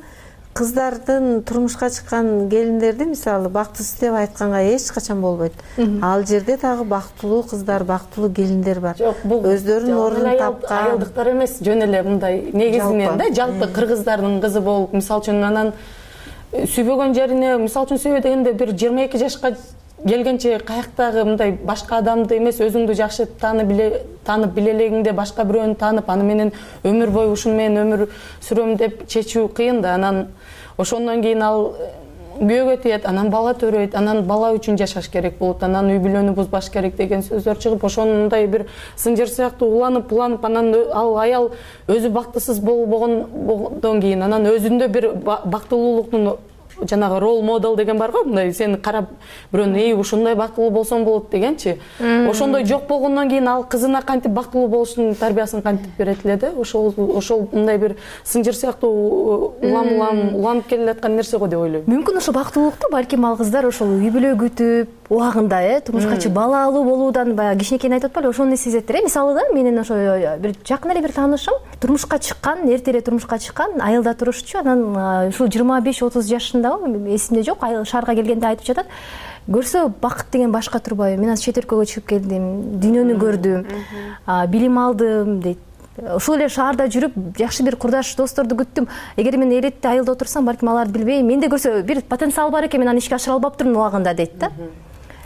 кыздардын турмушка чыккан келиндерди мисалы бактысыз деп айтканга эч качан болбойт. Ал жерде дагы бактылуу кыздар, бактылуу келиндер бар. Өздөрүнүн ордун тапкан. Айылдыктар эмес, жөн эле мындай негизинен да, жалпы кыргыздардын кызы болуп, мисалы үчүн анан сүйбөгөн жерине, мисалы үчүн сүйбөй дегенде бир 22 жашка келгенче каяктагы мындай башка адамды эмес, өзүңдү жакшы таанып биле элегиңде башка бирөөнү таанып, аны менен өмүр бою ушуну менен өмүр сүрөм деп чечүү кыйын да. Анан ошондон кийин ал күйөөгө тиет, анан бала төрөйт, анан бала үчүн жашаш керек болот, анан үй бүлөнү бузбаш керек деген сөздөр чыгып, ошондой бир сынжыр сыяктуу уланып, анан ал аял өзү бактысыз болбогондон кийин анан өзүндө бир бактылуулуктун жанагы рол модел деген бар го, мындай сени карап бирөөнү ушундай бактылуу болсоң болот дегенчи. Ошондой жок болгондон кийин ал кызына кантип бактылуу болуштун тарбиясын кантип берет эле да. Ошол мындай бир сынжыр сыяктуу уланып келе аткан нерсе го деп ойлойм. Мүмкүн ошо бактылуулукту балким ал кыздар ошол үй бүлө күтүп, убагында турмушка чыгып бала алуу болуудан баягы кичинекейин айтып атпайлы, ошону сезеттир. Мисалы да, менин ошо бир жакын эле бир таанышым турмушка чыккан, эрте эле турмушка чыккан, айылда турушчу. Анан ушул 25-30 жашында, эсимде жок, шаарга келгенде айтып жатат. Көрсө бакыт деген башка турбайбы? Мен азыр чет өлкөгө чыгып келдим, дүйнөнү көрдүм, билим алдым дейт. Ушул эле шаарда жүрүп, жакшы бир курдаш досторду күттүм. Эгер мен элетте айылда отурсам, балким аларды билбейм. Менде көрсө бир потенциал бар экен, мен аны ишке ашыра албаптырмын убагында дейт да.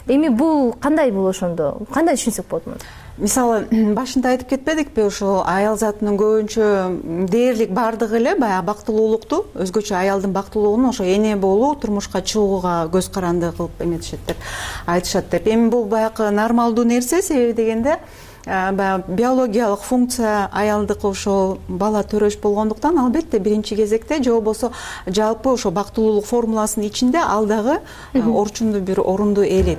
Эми бул кандай бул ошондо? Кандай түшүнсөк болот муну? Мисалы, башында айтып кетпедикпи, ошо аял затынын көбүнчө дээрлик бардыгы эле баягы бактылуулукту, өзгөчө аялдын бактылуулугун ошо эне болуу, турмушка чыгууга көз каранды кылып эметишет деп айтышат деп. Эми бул баягы нормалдуу нерсе, себеби дегенде баягы биологиялык функция аялдыкы ошо бала төрөш болгондуктан албетте биринчи кезекте же болбосо жалпы ошо бактылуулук формуласынын ичинде ал дагы орчундуу бир орунду ээлейт.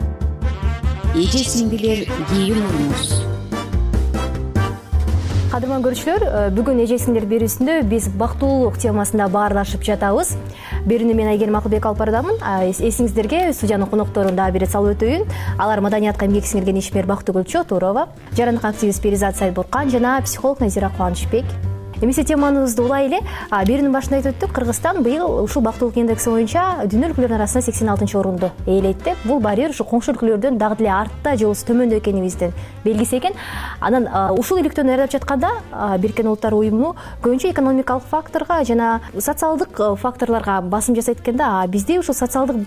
Эже сиңдилер кийимиңиз. Кадырман көрүүчүлөр, бүгүн эже сиңдилер берүүсүндө биз бактылуулук темасында баарлашып жатабыз. Берүүнү мен Айгерим Акылбек алып барадамын. Эсиңиздерге студиянын конокторун дагы бир салып өтөйүн. Алар маданиятка эмгек сиңирген ишмер Бактыгүл Чотурова, жарандык активист Перизат Сайбуркан жана психолог Назира Кубанычбек. Эмесе темабызды улай эле берүүнүн башында айтып өттүк. Кыргызстан быйыл ушул бактылуулук индекси боюнча дүйнө өлкөлөрүнүн арасында 86-орунду ээлейт. Бул барьер ушу коңшу өлкөлөрдөн дагы деле артта же болбосо төмөндө экенибиздин белгиси экен. Анан ушул иликтөөнү даярдап жатканда Бириккен Улуттар уюму көбүнчө экономикалык факторго жана социалдык факторлорго басым жасайт экен да. Бизде ушул социалдык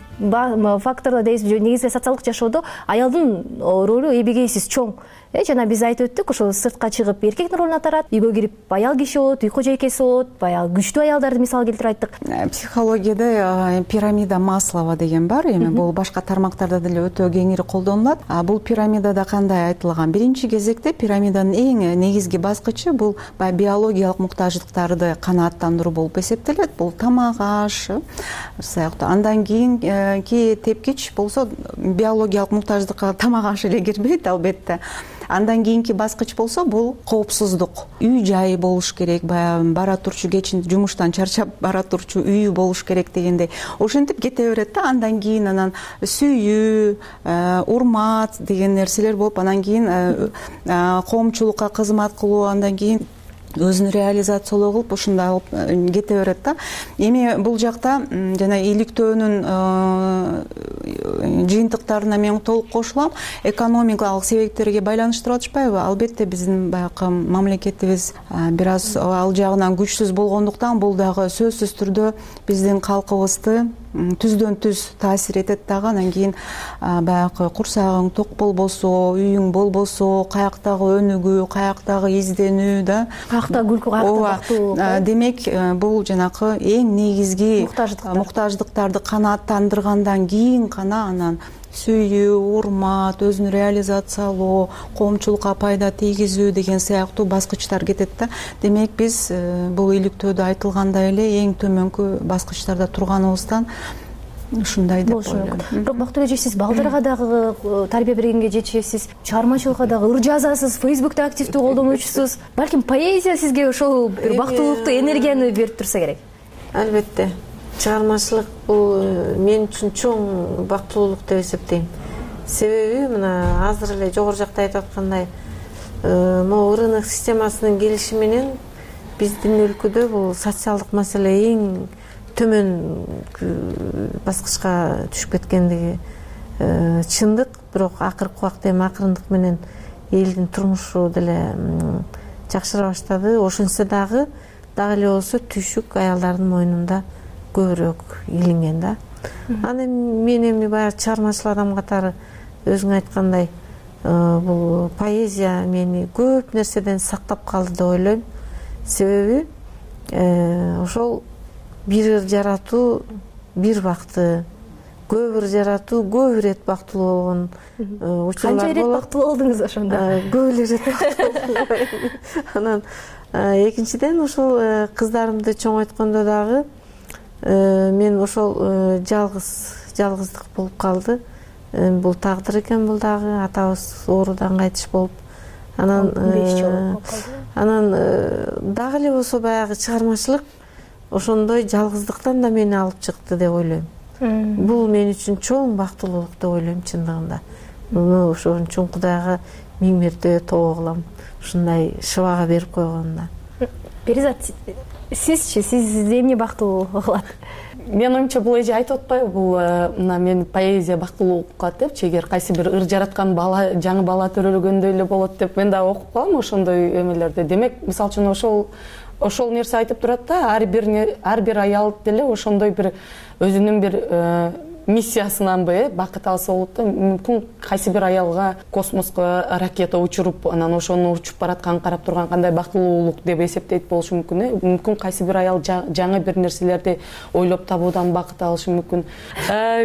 факторлор негизги социалдык жашоодо аялдын ролу эбегейсиз чоң. жана биз айтып өттүк, ошо сыртка чыгып эркектин ролун атарат, үйгө кирип аял киши болот, үй кожойкеси болот, баягы күчтүү аялдарды мисал келтирип айттык. Психологияда пирамида Маслова деген бар, эми бул башка тармактарда деле өтө кеңири колдонулат. Бул пирамидада кандай айтылган? Биринчи кезекте пирамиданын эң негизги баскычы бул баягы биологиялык муктаждыктарды канааттандыруу болуп эсептелет. Бул тамак, аш сыяктуу. Андан кийинки тепкич болсо биологиялык муктаждыкка тамак, аш эле кирбейт албетте. Андан кийинки баскыч болсо бул коопсуздук. Үй жайы болуш керек, баягы бара турчу кечин жумуштан чарчап бара турчу үйү болуш керек дегендей. Ошентип кете берет да. Андан кийин анан сүйүү, урмат деген нерселер болуп, анан кийин коомчулукка кызмат кылуу, андан кийин өзүн реализациялоо кылып ушундай алып кете берет да. Эми бул жакта жана иликтөөнүн жыйынтыктарына мен толук кошулам. Экономикалык себептерге байланыштырып атышпайбы? Албетте биздин баягы мамлекетибиз бир аз ал жагынан күчсүз болгондуктан бул дагы сөзсүз түрдө биздин калкыбызды түздөн түз таасир этет дагы. Анан кийин баягы курсагың ток болбосо, үйүң болбосо, каяктагы өнүгүү, каяктагы изденүү да, каякта күлкү, каякта бактылуу. Демек бул жанакы эң негизги муктаждыктарды канааттандыргандан кийин гана анан сүйүү, урмат, өзүн реализациялоо, коомчулукка пайда тийгизүү деген сыяктуу баскычтар кетет да. Демек биз бул иликтөөдө айтылгандай эле эң төмөнкү баскычтарда турганыбыздан ушундай деп ойлойм. Бирок Бактыгүл эже, сиз балдарга дагы тарбия бергенге жетишесиз, чыгармачылыкка дагы ыр жазасыз, Фейсбукта активдүү колдонуучусуз. Балким поэзия сизге ошол бир бактылуулукту энергияны берип турса керек. Албетте. Чыгармачылык бул мен үчүн чоң бактылуулук деп эсептейм. Себеби мына азыр эле жогору жакта айтып аткандай, могу рынок системасынын келиши менен биздин өлкөдө бул социалдык маселе эң төмөн баскычка түшүп кеткендиги чындык. Бирок акыркы убакта эми акырындык менен элдин турмушу деле жакшыра баштады. Ошентсе дагы эле болсо түйшүк аялдардын мойнунда көбүрөөк илинген да. Аны мен эми баягы чыгармачыл адам катары өзүң айткандай, бул поэзия мени көп нерседен сактап калды деп ойлойм. Себеби ошол бир ыр жаратуу бир бакты, көп ыр жаратуу көп ирет бактылуу болгон учурлар болот. Канча ирет бактылуу болдуңуз ошондо? Көп эле ирет бактылуу болдум. Анан экинчиден ошол кыздарымды чоңойткондо дагы мен ошол жалгыздык болуп калды. Бул тагдыр экен, бул дагы атабыз оорудан кайтыш болуп. Анан дагы эле болсо баягы чыгармачылык ошондой жалгыздыктан да мени алып чыкты деп ойлойм. Бул мен үчүн чоң бактылуулук деп ойлойм чындыгында. Муну ошон үчүн Кудайга миң мерте тобо кылам, ушундай шыбага берип койгонуна. Перизат, сизчи, сизди эмне бактылуу кылат? Менин оюмча бул эже айтып атпайбы, бул мына мен поэзия бактылуулукка депчи, эгер кайсы бир ыр жараткан бала, жаңы бала төрөлгөндөй эле болот деп мен дагы окуп калам ошондой эмелерди. Демек, мисалы үчүн ошол нерсе айтып турат да, ар бир аял деле ошондой бир өзүнүн бир миссиясынанбы бакыт алса болот да. Мүмкүн кайсы бир аялга космоско ракета учуруп, анан ошону учуп баратканын карап турган кандай бактылуулук деп эсептейт болушу мүмкүн. Мүмкүн кайсы бир аял жаңы бир нерселерди ойлоп табуудан бакыт алышы мүмкүн.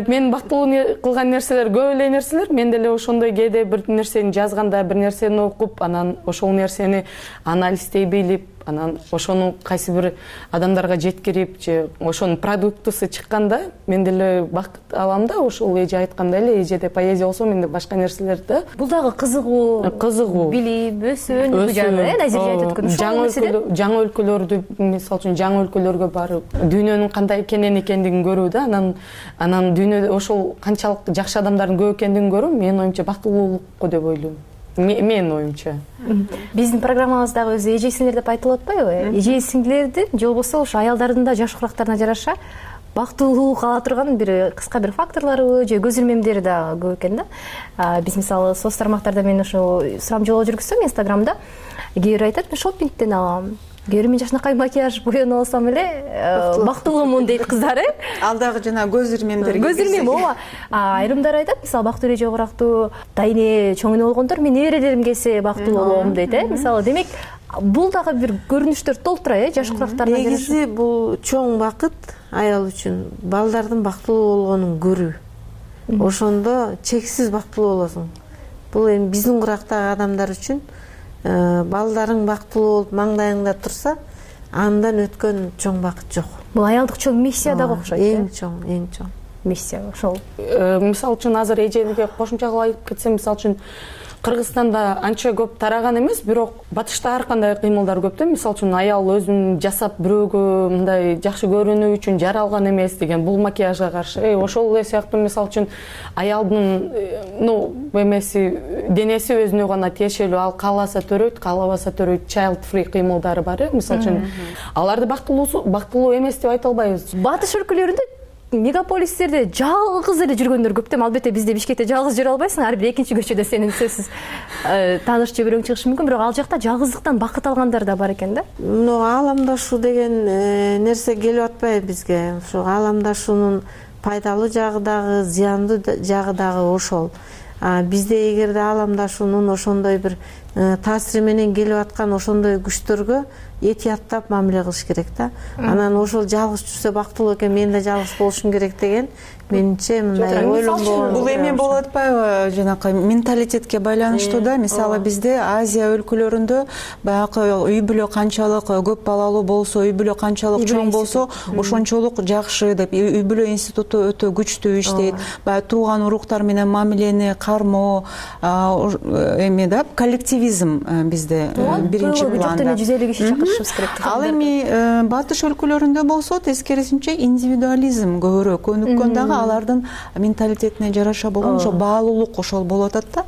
Мен бактылуу кылган нерселер көп эле нерселер. Мен деле ошондой кээде бир нерсени жазганда, бир нерсени окуп, анан ошол нерсени анализдей билип, анан ошону кайсы бир адамдарга жеткирип, же ошонун продуктусу чыкканда мен деле бакыт алам да. Ошол эже айткандай эле, эжеде поэзия болсо менде башка нерселер да. Бул дагы кызыгуу, билип, өсүүнү жагы, Назирже айтып өткөн жаңы өлкөлөрдү, мисалы үчүн жаңы өлкөлөргө барып, дүйнөнүн кандай экендигин көрүү да. Анан дүйнөдө ошол канчалык жакшы адамдардын көп экендигин көрүү менин оюмча бактылуулук деп ойлойм. Менин оюмча. Биздин программабыздагы өзү эже сиңдилер деп айтылып атпайбы? Эже сиңдилердин же болбосо ошо аялдардын да жаш курактарына жараша бактылуулук ала турган бир кыска бир факторлору же көз ирмемдери да көп экен да. Биз мисалы соц тармактарда мен ошо сурамжылоо жүргүзсөм Инстаграмда, кээ бир айтат, мен шоппингден алам, Мен жакшынакай макияж боенуп алсам эле бактылуумун дейт кыздар, Ал дагы жана көз ирмемдерге. Көз ирмем, ооба. Айрымдар айтат, мисалы бактылуу эже жогорактуу, дайне чоң эне болгондор мен неберелерим келсе бактылуу болом дейт, Мисалы, демек бул дагы бир көрүнүштөр толтура, жашкырактардан. Негизи бул чоң бакыт аял үчүн балдардын бактылуу болгонун көрүү. Ошондо чексиз бактылуу болосуң. Бул эми биздин курактагы адамдар үчүн балдарың бактылуу болуп маңдайыңда турса, андан өткөн чоң бакыт жок. Бул аялдык чоң миссия дагы окшойт. Эң чоң миссия ошол. Мисалы үчүн азыр эжеликке кошумча кылып айтып кетсем, мисалы үчүн Кыргызстанда анча көп тараган эмес, бирок батышта ар кандай кыймылдар көп да. Мисалы үчүн аял өзүн жасап бирөөгө мындай жакшы көрүнүү үчүн жаралган эмес деген, бул макияжга каршы. Ошол эле сыяктуу мисалы үчүн аялдын эмеси, денеси өзүнө гана тиешелүү, ал кааласа төрөйт, каалабаса төрөйт, child free кыймылдары бар. Мисалы үчүн аларды бактылуу эмес деп айта албайбыз. Батыш өлкөлөрүндө мегаполистерде жалгыз эле жүргөндөр көп да. Албетте бизде Бишкекте жалгыз жүрө албайсың, ар бир экинчи көчөдө сенин сөзсүз тааныш же бирөөң чыгышы мүмкүн, бирок ал жакта жалгыздыктан бакыт алгандар да бар экен да. Ааламдашуу деген нерсе келип атпайбы бизге? Ушу ааламдашуунун пайдалуу жагы дагы, зыяндуу жагы дагы ошол. Бизде эгерде ааламдашуунун ошондой бир таасири менен келип аткан ошондой күчтөргө этияттап мамиле кылыш керек да. Анан ошол жалгыз жүрсө бактылуу экен, мен да жалгыз болушум керек деген менимче мындай ойлонбогон. Бул эме болуп атпайбы? Жанакы менталитетке байланыштуу да. Мисалы бизде Азия өлкөлөрүндө баягы үй бүлө канчалык көп балалуу болсо, үй бүлө канчалык чоң болсо, ошончолук жакшы деп, үй бүлө институту өтө күчтүү иштейт. Баягы тууган уруктар менен мамилени кармоо, эме да, коллективизм бизде биринчи планда. Ал эми батыш өлкөлөрүндө болсо тескерисинче индивидуализм көбүрөөк өнүккөн дагы, алардын менталитетине жараша болгон ошо баалуулук ошол болуп атат да.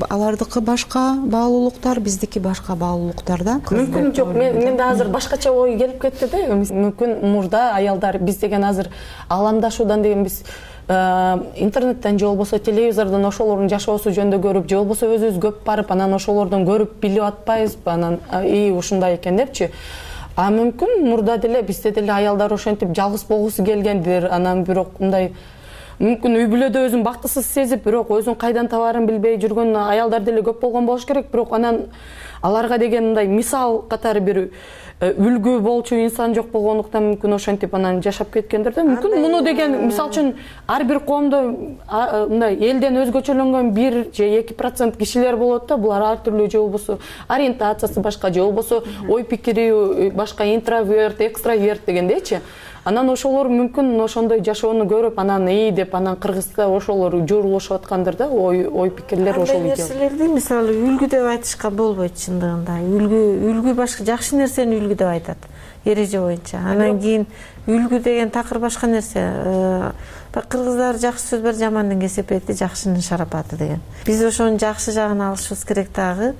Алардыкы башка баалуулуктар, биздики башка баалуулуктар да. Мүмкүн жок, менде азыр башкача ой келип кетти да. Мүмкүн мурда аялдар биз деген азыр ааламдашуудан деген биз интернеттен же болбосо телевизордон ошолордун жашоосу жөнүндө көрүп, же болбосо өзүбүз көп барып, анан ошолордон көрүп билип атпайбызбы, анан ушундай экен депчи. Мүмкүн мурда деле бизде деле аялдар ошентип жалгыз болгусу келгендир, анан бирок мындай мүмкүн үй бүлөдө өзүн бактысыз сезип, бирок өзүн кайдан табаарын билбей жүргөн аялдар деле көп болгон болуш керек. Бирок анан аларга деген мындай мисал катары бир үлгү болчу инсан жок болгондуктан мүмкүн ошентип анан жашап кеткендир да. Мүмкүн муну деген мисалы үчүн ар бир коомдо мындай элден өзгөчөлөнгөн 1 же 2% кишилер болот да. Булар ар түрлүү, же болбосо ориентациясы башка, же болбосо ой пикири башка, интроверт, экстраверт дегендейчи. Анан ошолор мүмкүн ошондой жашоону көрүп, анан деп анан Кыргызда ошолор жуурулушуп аткандыр да, ой пикирлер ошол нерселерди мисалы үлгү деп айтышка болбойт чындыгында. Үлгү башка, жакшы нерсени үлгү деп айтат эреже боюнча. Анан кийин үлгү деген такыр башка нерсе. Кыргыздар жакшы сөз бар, жамандын кесепети, жакшынын шарапаты деген. Биз ошонун жакшы жагын алышыбыз керек дагы.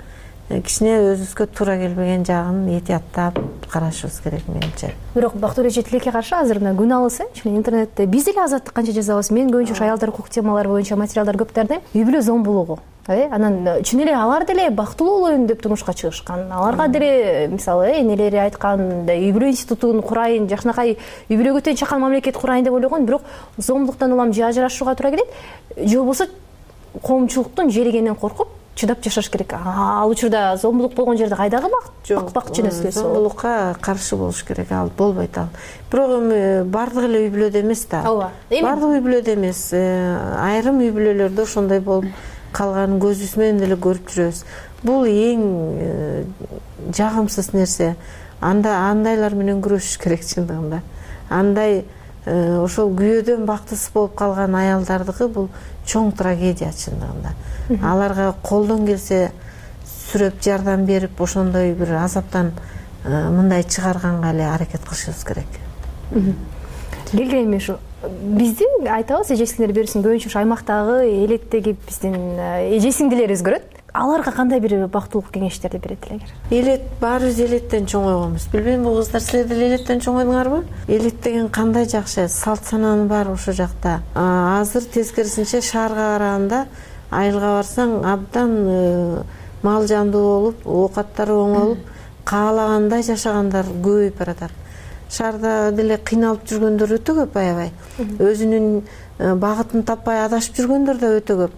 Кичине өзүбүзгө туура келбеген жагын этияттап карашыбыз керек менимче. Бирок бактылуу эже тилекке каршы азыр мына күн алысы интернетте биз деле азаттык канча жазабыз. Мен көбүнчө аялдар укук темалары боюнча материалдар көп дардым. Үй бүлө зомбулугу. Анан чын эле алар деле бактылуу болоюн деп турмушка чыгышкан. Аларга деле мисалы энелери айткан, үй бүлө институтун курайын, жакшынакай үй бүлөгө тең чакан мамлекет курайын деп ойлогон, бирок зомбулуктан улам же ажырашууга туура келет, же болбосо коомчулуктун жеригенен коркуп чыдап жашаш керек. Ал учурда зомбулук болгон жерде кайдагы бакчы нерселер? Зомбулукка каршы болуш керек, ал болбойт ал. Бирок эми бардык эле үй бүлөдө эмес да. Бардык үй бүлөдө эмес. Айрым үй бүлөлөрдө ошондой болуп калганын көзүбүз менен деле көрүп жүрөбүз. Бул эң жагымсыз нерсе. Андайлар менен күрөшүш керек чындыгында. Андай ошол күйөөдөн бактысыз болуп калган аялдардыкы бул чоң трагедия чындыгында. Аларга колдон келсе сүрөп жардам берип, ошондой бир азаптан мындай чыгарганга эле аракет кылышыбыз керек. Келген эми ушу бизди айтабыз, эже сиңдер берүүсүн көбүнчө ушу аймактагы элеттеги биздин эже сиңдилерибиз көрөт. Аларга кандай бир бактылык кеңештерди берет элеңер? Элет баарыбыз элеттен чоңойгонбуз. Билбейм, бул кыздар силер деле элеттен чоңойдуңарбы? Элет деген кандай жакшы, салт сананын бар ошол жакта. Азыр тескерисинче шаарга караганда айылга барсаң абдан мал жандуу болуп, оокаттары оңолуп, каалагандай жашагандар көбөйүп баратат. Шаарда деле кыйналып жүргөндөр өтө көп, аябай. Өзүнүн багытын таппай адашып жүргөндөр да өтө көп.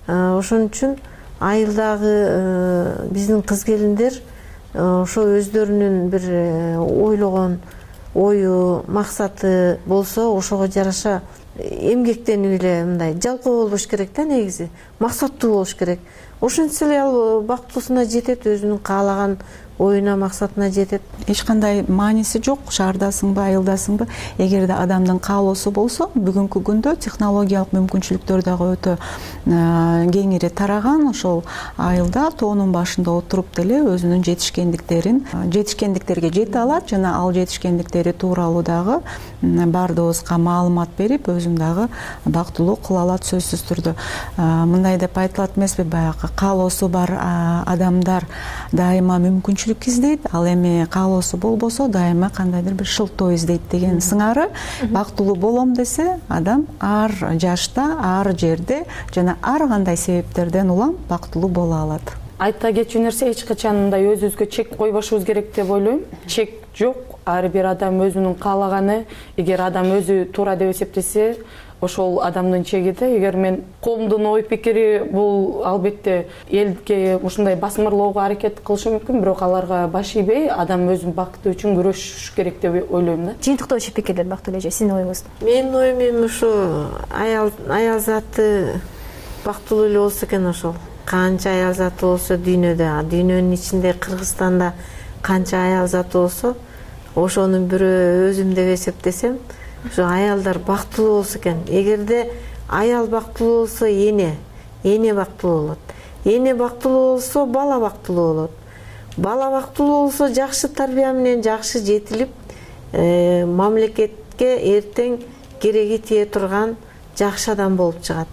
Ошон үчүн айылдагы биздин кыз келиндер ошо өздөрүнүн бир ойлогон ою, максаты болсо ошого жараша эмгектенип эле мындай жалкоо болбош керек да, негизи максаттуу болуш керек. Ошентсе эле ал бактылуусуна жетет, өзүнүн каалаган оюна, максатына жетет. Эч кандай мааниси жок, шаардасыңбы, айылдасыңбы, эгерде адамдын каалоосу болсо, бүгүнкү күндө технологиялык мүмкүнчүлүктөр дагы өтө кеңири тараган. Ошол айылда тоонун башында отуруп деле өзүнүн жетишкендиктерге жете алат жана ал жетишкендиктери тууралуу дагы баардыгыбызга маалымат берип, өзүн дагы бактылуу кыла алат сөзсүз түрдө. Мындай деп айтылат эмеспи, баягы каалоосу бар адамдар дайыма мүмкүнчүлүк издейт, ал эми каалоосу болбосо дайыма кандайдыр бир шылтоо издейт деген сыңары. Бактылуу болом десе, адам ар жашта, ар жерде жана ар кандай себептерден улам бактылуу боло алат. Айта кетчү нерсе, эч качан мындай өзүбүзгө чек койбошубуз керек деп ойлойм. Чек жок. Ар бир адам өзүнүн каалаганы, эгер адам өзү туура деп эсептесе, ошол адамдын чеги да. Эгер мен коомдун ой пикири бул албетте элге ушундай басмырлоого аракет кылышы мүмкүн, бирок аларга баш ийбей, адам өзүнүн бакыты үчүн күрөшүш керек деп ойлойм да. Жыйынтыктоочу пикирлер Бактылуу эже, сиздин оюңуз? Менин оюм эми ушу аял заты бактылуу эле болсо экен. Ошол канча аял заты болсо дүйнөдө, дүйнөнүн ичинде Кыргызстанда канча аял заты болсо, ошонун бирөө өзүм деп эсептесем, ошо аялдар бактылуу болсо экен. Эгерде аял бактылуу болсо, эне бактылуу болот. Эне бактылуу болсо, бала бактылуу болот. Бала бактылуу болсо, жакшы тарбия менен жакшы жетилип, мамлекетке эртең кереги тие турган жакшы адам болуп чыгат.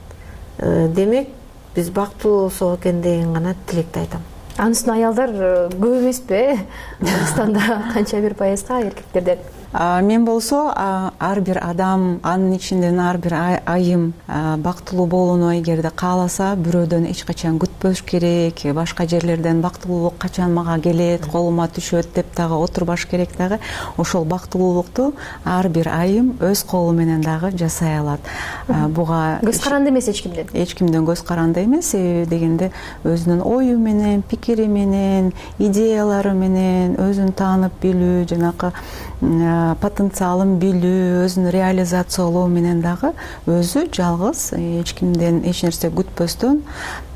Демек, биз бактылуу болсок экен деген гана тилекти айтам. Анын үстүнө аялдар көп эмеспи? Кыргызстанда канча бир пайызга эркектерден? Мен болсо ар бир адам, анын ичинен ар бир айым бактылуу болууну эгерде кааласа, бирөөдөн эч качан күтпөш керек. Башка жерлерден бактылуулук качан мага келет, колума түшөт деп дагы отурбаш керек дагы. Ошол бактылуулукту ар бир айым өз колу менен дагы жасай алат. Буга көз каранды эмес эч кимден. Эч кимден көз каранды эмес, себеби дегенде өзүнүн ою менен, пикири менен, идеялары менен өзүн таанып билүү, жанакы потенциалын билүү, өзүн реализациялоо менен дагы өзү жалгыз эч кимден эч нерсе күтпөстөн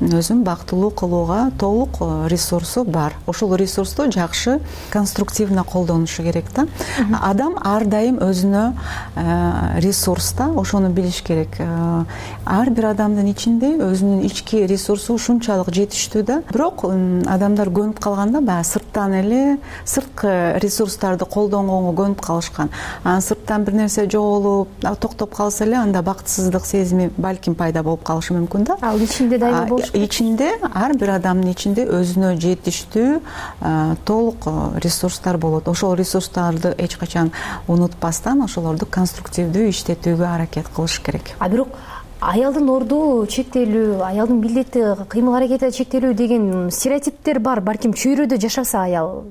өзүн бактылуу кылууга толук ресурсу бар. Ошол ресурсту жакшы конструктивно колдонушу керек да. Адам ар дайым өзүнө ресурс да, ошону билиш керек. Ар бир адамдын ичинде өзүнүн ички ресурсу ушунчалык жетиштүү да. Бирок адамдар көнүп калганда баягы сырттан эле сырткы ресурстарды колдонгонго көнүп калышкан. Анан сырттан бир нерсе жоголуп, токтоп калса эле анда бактысыздык сезими балким пайда болуп калышы мүмкүн да. Ал ичинде дайыма болуш керек. Ичинде, ар бир адамдын ичинде өзүнө жетиштүү толук ресурстар болот. Ошол ресурстарды эч качан унутпастан ошолорду конструктивдүү иштетүүгө аракет кылыш керек. Бирок аялдын орду чектелүү, аялдын милдети, кыймыл аракети чектелүү деген стереотиптер бар. Балким чөйрөдө жашаса аял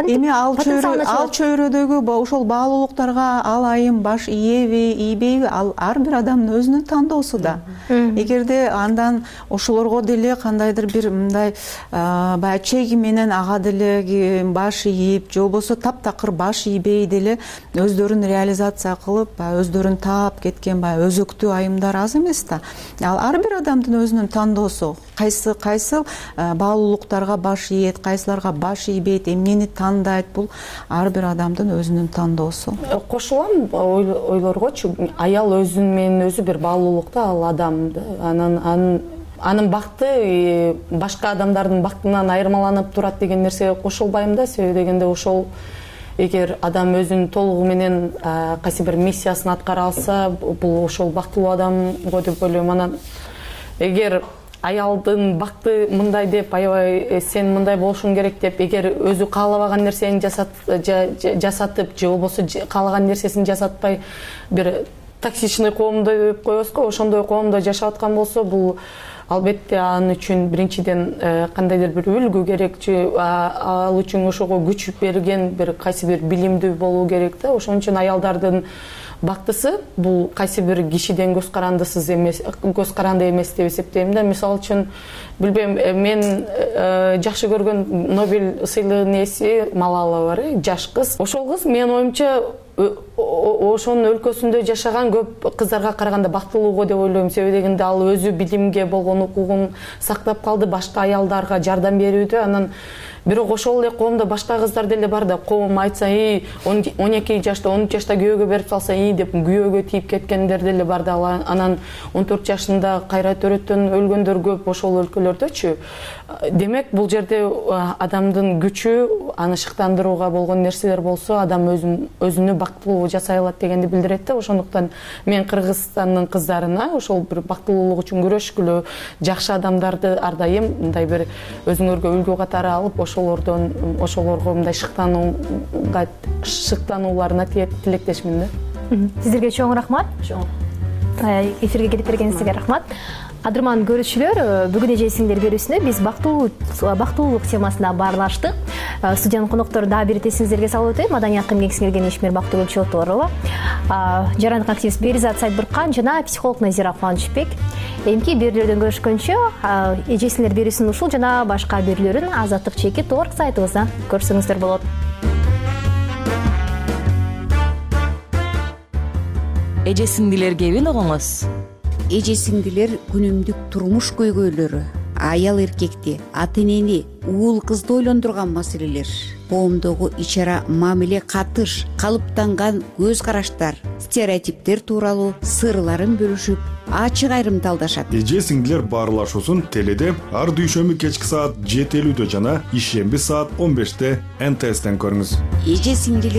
эми ал чөйрөдөгү ошол баалуулуктарга ал айым баш ийеби, ийбейби, ал ар бир адамдын өзүнүн тандоосу да. Эгерде андан ошолорго деле кандайдыр бир мындай баягы чеги менен ага деле баш ийип, же болбосо таптакыр баш ийбей деле өздөрүн реализация кылып, өздөрүн таап кеткен баягы өзөктүү айымдар аз эмес да. Ал ар бир адамдын өзүнүн тандоосу. Кайсы баалуулуктарга баш ийет, кайсыларга баш ийбейт, эмнени тандайт, бул ар бир адамдын өзүнүн тандоосу. Кошулам ойлоргочу. Аял өзүнүн менен өзү бир баалуулукта, ал адам анын бакыты башка адамдардын бактынан айырмаланып турат деген нерсеге кошулбайм да. Себеби дегенде ошол эгер адам өзүнүн толугу менен кайсы бир миссиясын аткара алса, бул ошол бактылуу адамго деп ойлойм. Анан эгер аялдын бакыты мындай деп, аябай сен мындай болушуң керек деп, эгер өзү каалабаган нерсени жасатып, же болбосо каалаган нерсесин жасатпай бир токсичный коомдо деп коебузго, ошондой коомдо жашап аткан болсо, бул албетте ал үчүн биринчиден кандайдыр бир үлгү керек же ал үчүн ошого күч берген бир кайсы бир билимдүү болуу керек да. Ошон үчүн аялдардын бактысы бул кайсы бир кишиден көз каранды эмес деп эсептейм да. Мисалы үчүн билбейм, мен жакшы көргөн Нобель сыйлыгынын ээси Малала бар, жаш кыз. Ошол кыз менин оюмча ошонун өлкөсүндө жашаган көп кыздарга караганда бактылуу го деп ойлойм. Себеби дегенде ал өзү билимге болгон укугун сактап калды, башка аялдарга жардам берүүдө. Анан бирок ошол эле коомдо башка кыздар деле бар да, коом айтса 12 жашта 13 жашта күйөөгө берип салса деп күйөөгө тийип кеткендер деле бар да. Анан 14 жашында кайра төрөттөн өлгөндөр көп ошол өлкөлөрдөчү. Демек бул жерде адамдын күчү, аны шыктандырууга болгон нерселер болсо, адам өзүнү бактылуу жасай алат дегенди билдирет да. Ошондуктан мен Кыргызстандын кыздарына ошол бир бактылуулук үчүн күрөшкүлө, жакшы адамдарды ар дайым мындай бир өзүңөргө үлгү катары алып, ошолорго мындай шыктанууларына тилектешмин да. Сиздерге чоң рахмат. Эфирге келип бергениңизге рахмат. Кадырман көрүүчүлөр, бүгүн эже сиңдер берүүсүндө биз бактылуулук темасына баарлаштык. Студиянын коноктору дагы бир эсиңиздерге салып өтөйм. Маданий акым кеңсиңерген ишмер Бактыгүл Чоторова, жарандык активист Беризат Сайдбуркан жана психолог Назира Кубанычбек. Эмки берүүлөрдөн көрүшкөнчө, эже сиңдер берүүсүн ушул жана башка берүүлөрүн Азаттык чекит орг сайтыбыздан көрсөңүздөр болот. Эже сиңдилер кебин угуңуз. Эже сиңдилер күнүмдүк турмуш көйгөйлөрү, аял эркекти, ата энени, уул кызды ойлондурган маселелер, коомдогу ич-ара мамиле катыш, калыптанган көз караштар, стереотиптер тууралуу сырларын бөлүшүп, ачык айрымталдашат. Эже сиңдилер баарлашуусун теледе ар дүйшөмбү кечки саат 7:50 жана ишемби саат 15 НТСтен көрүңүз. Эже сиңдилер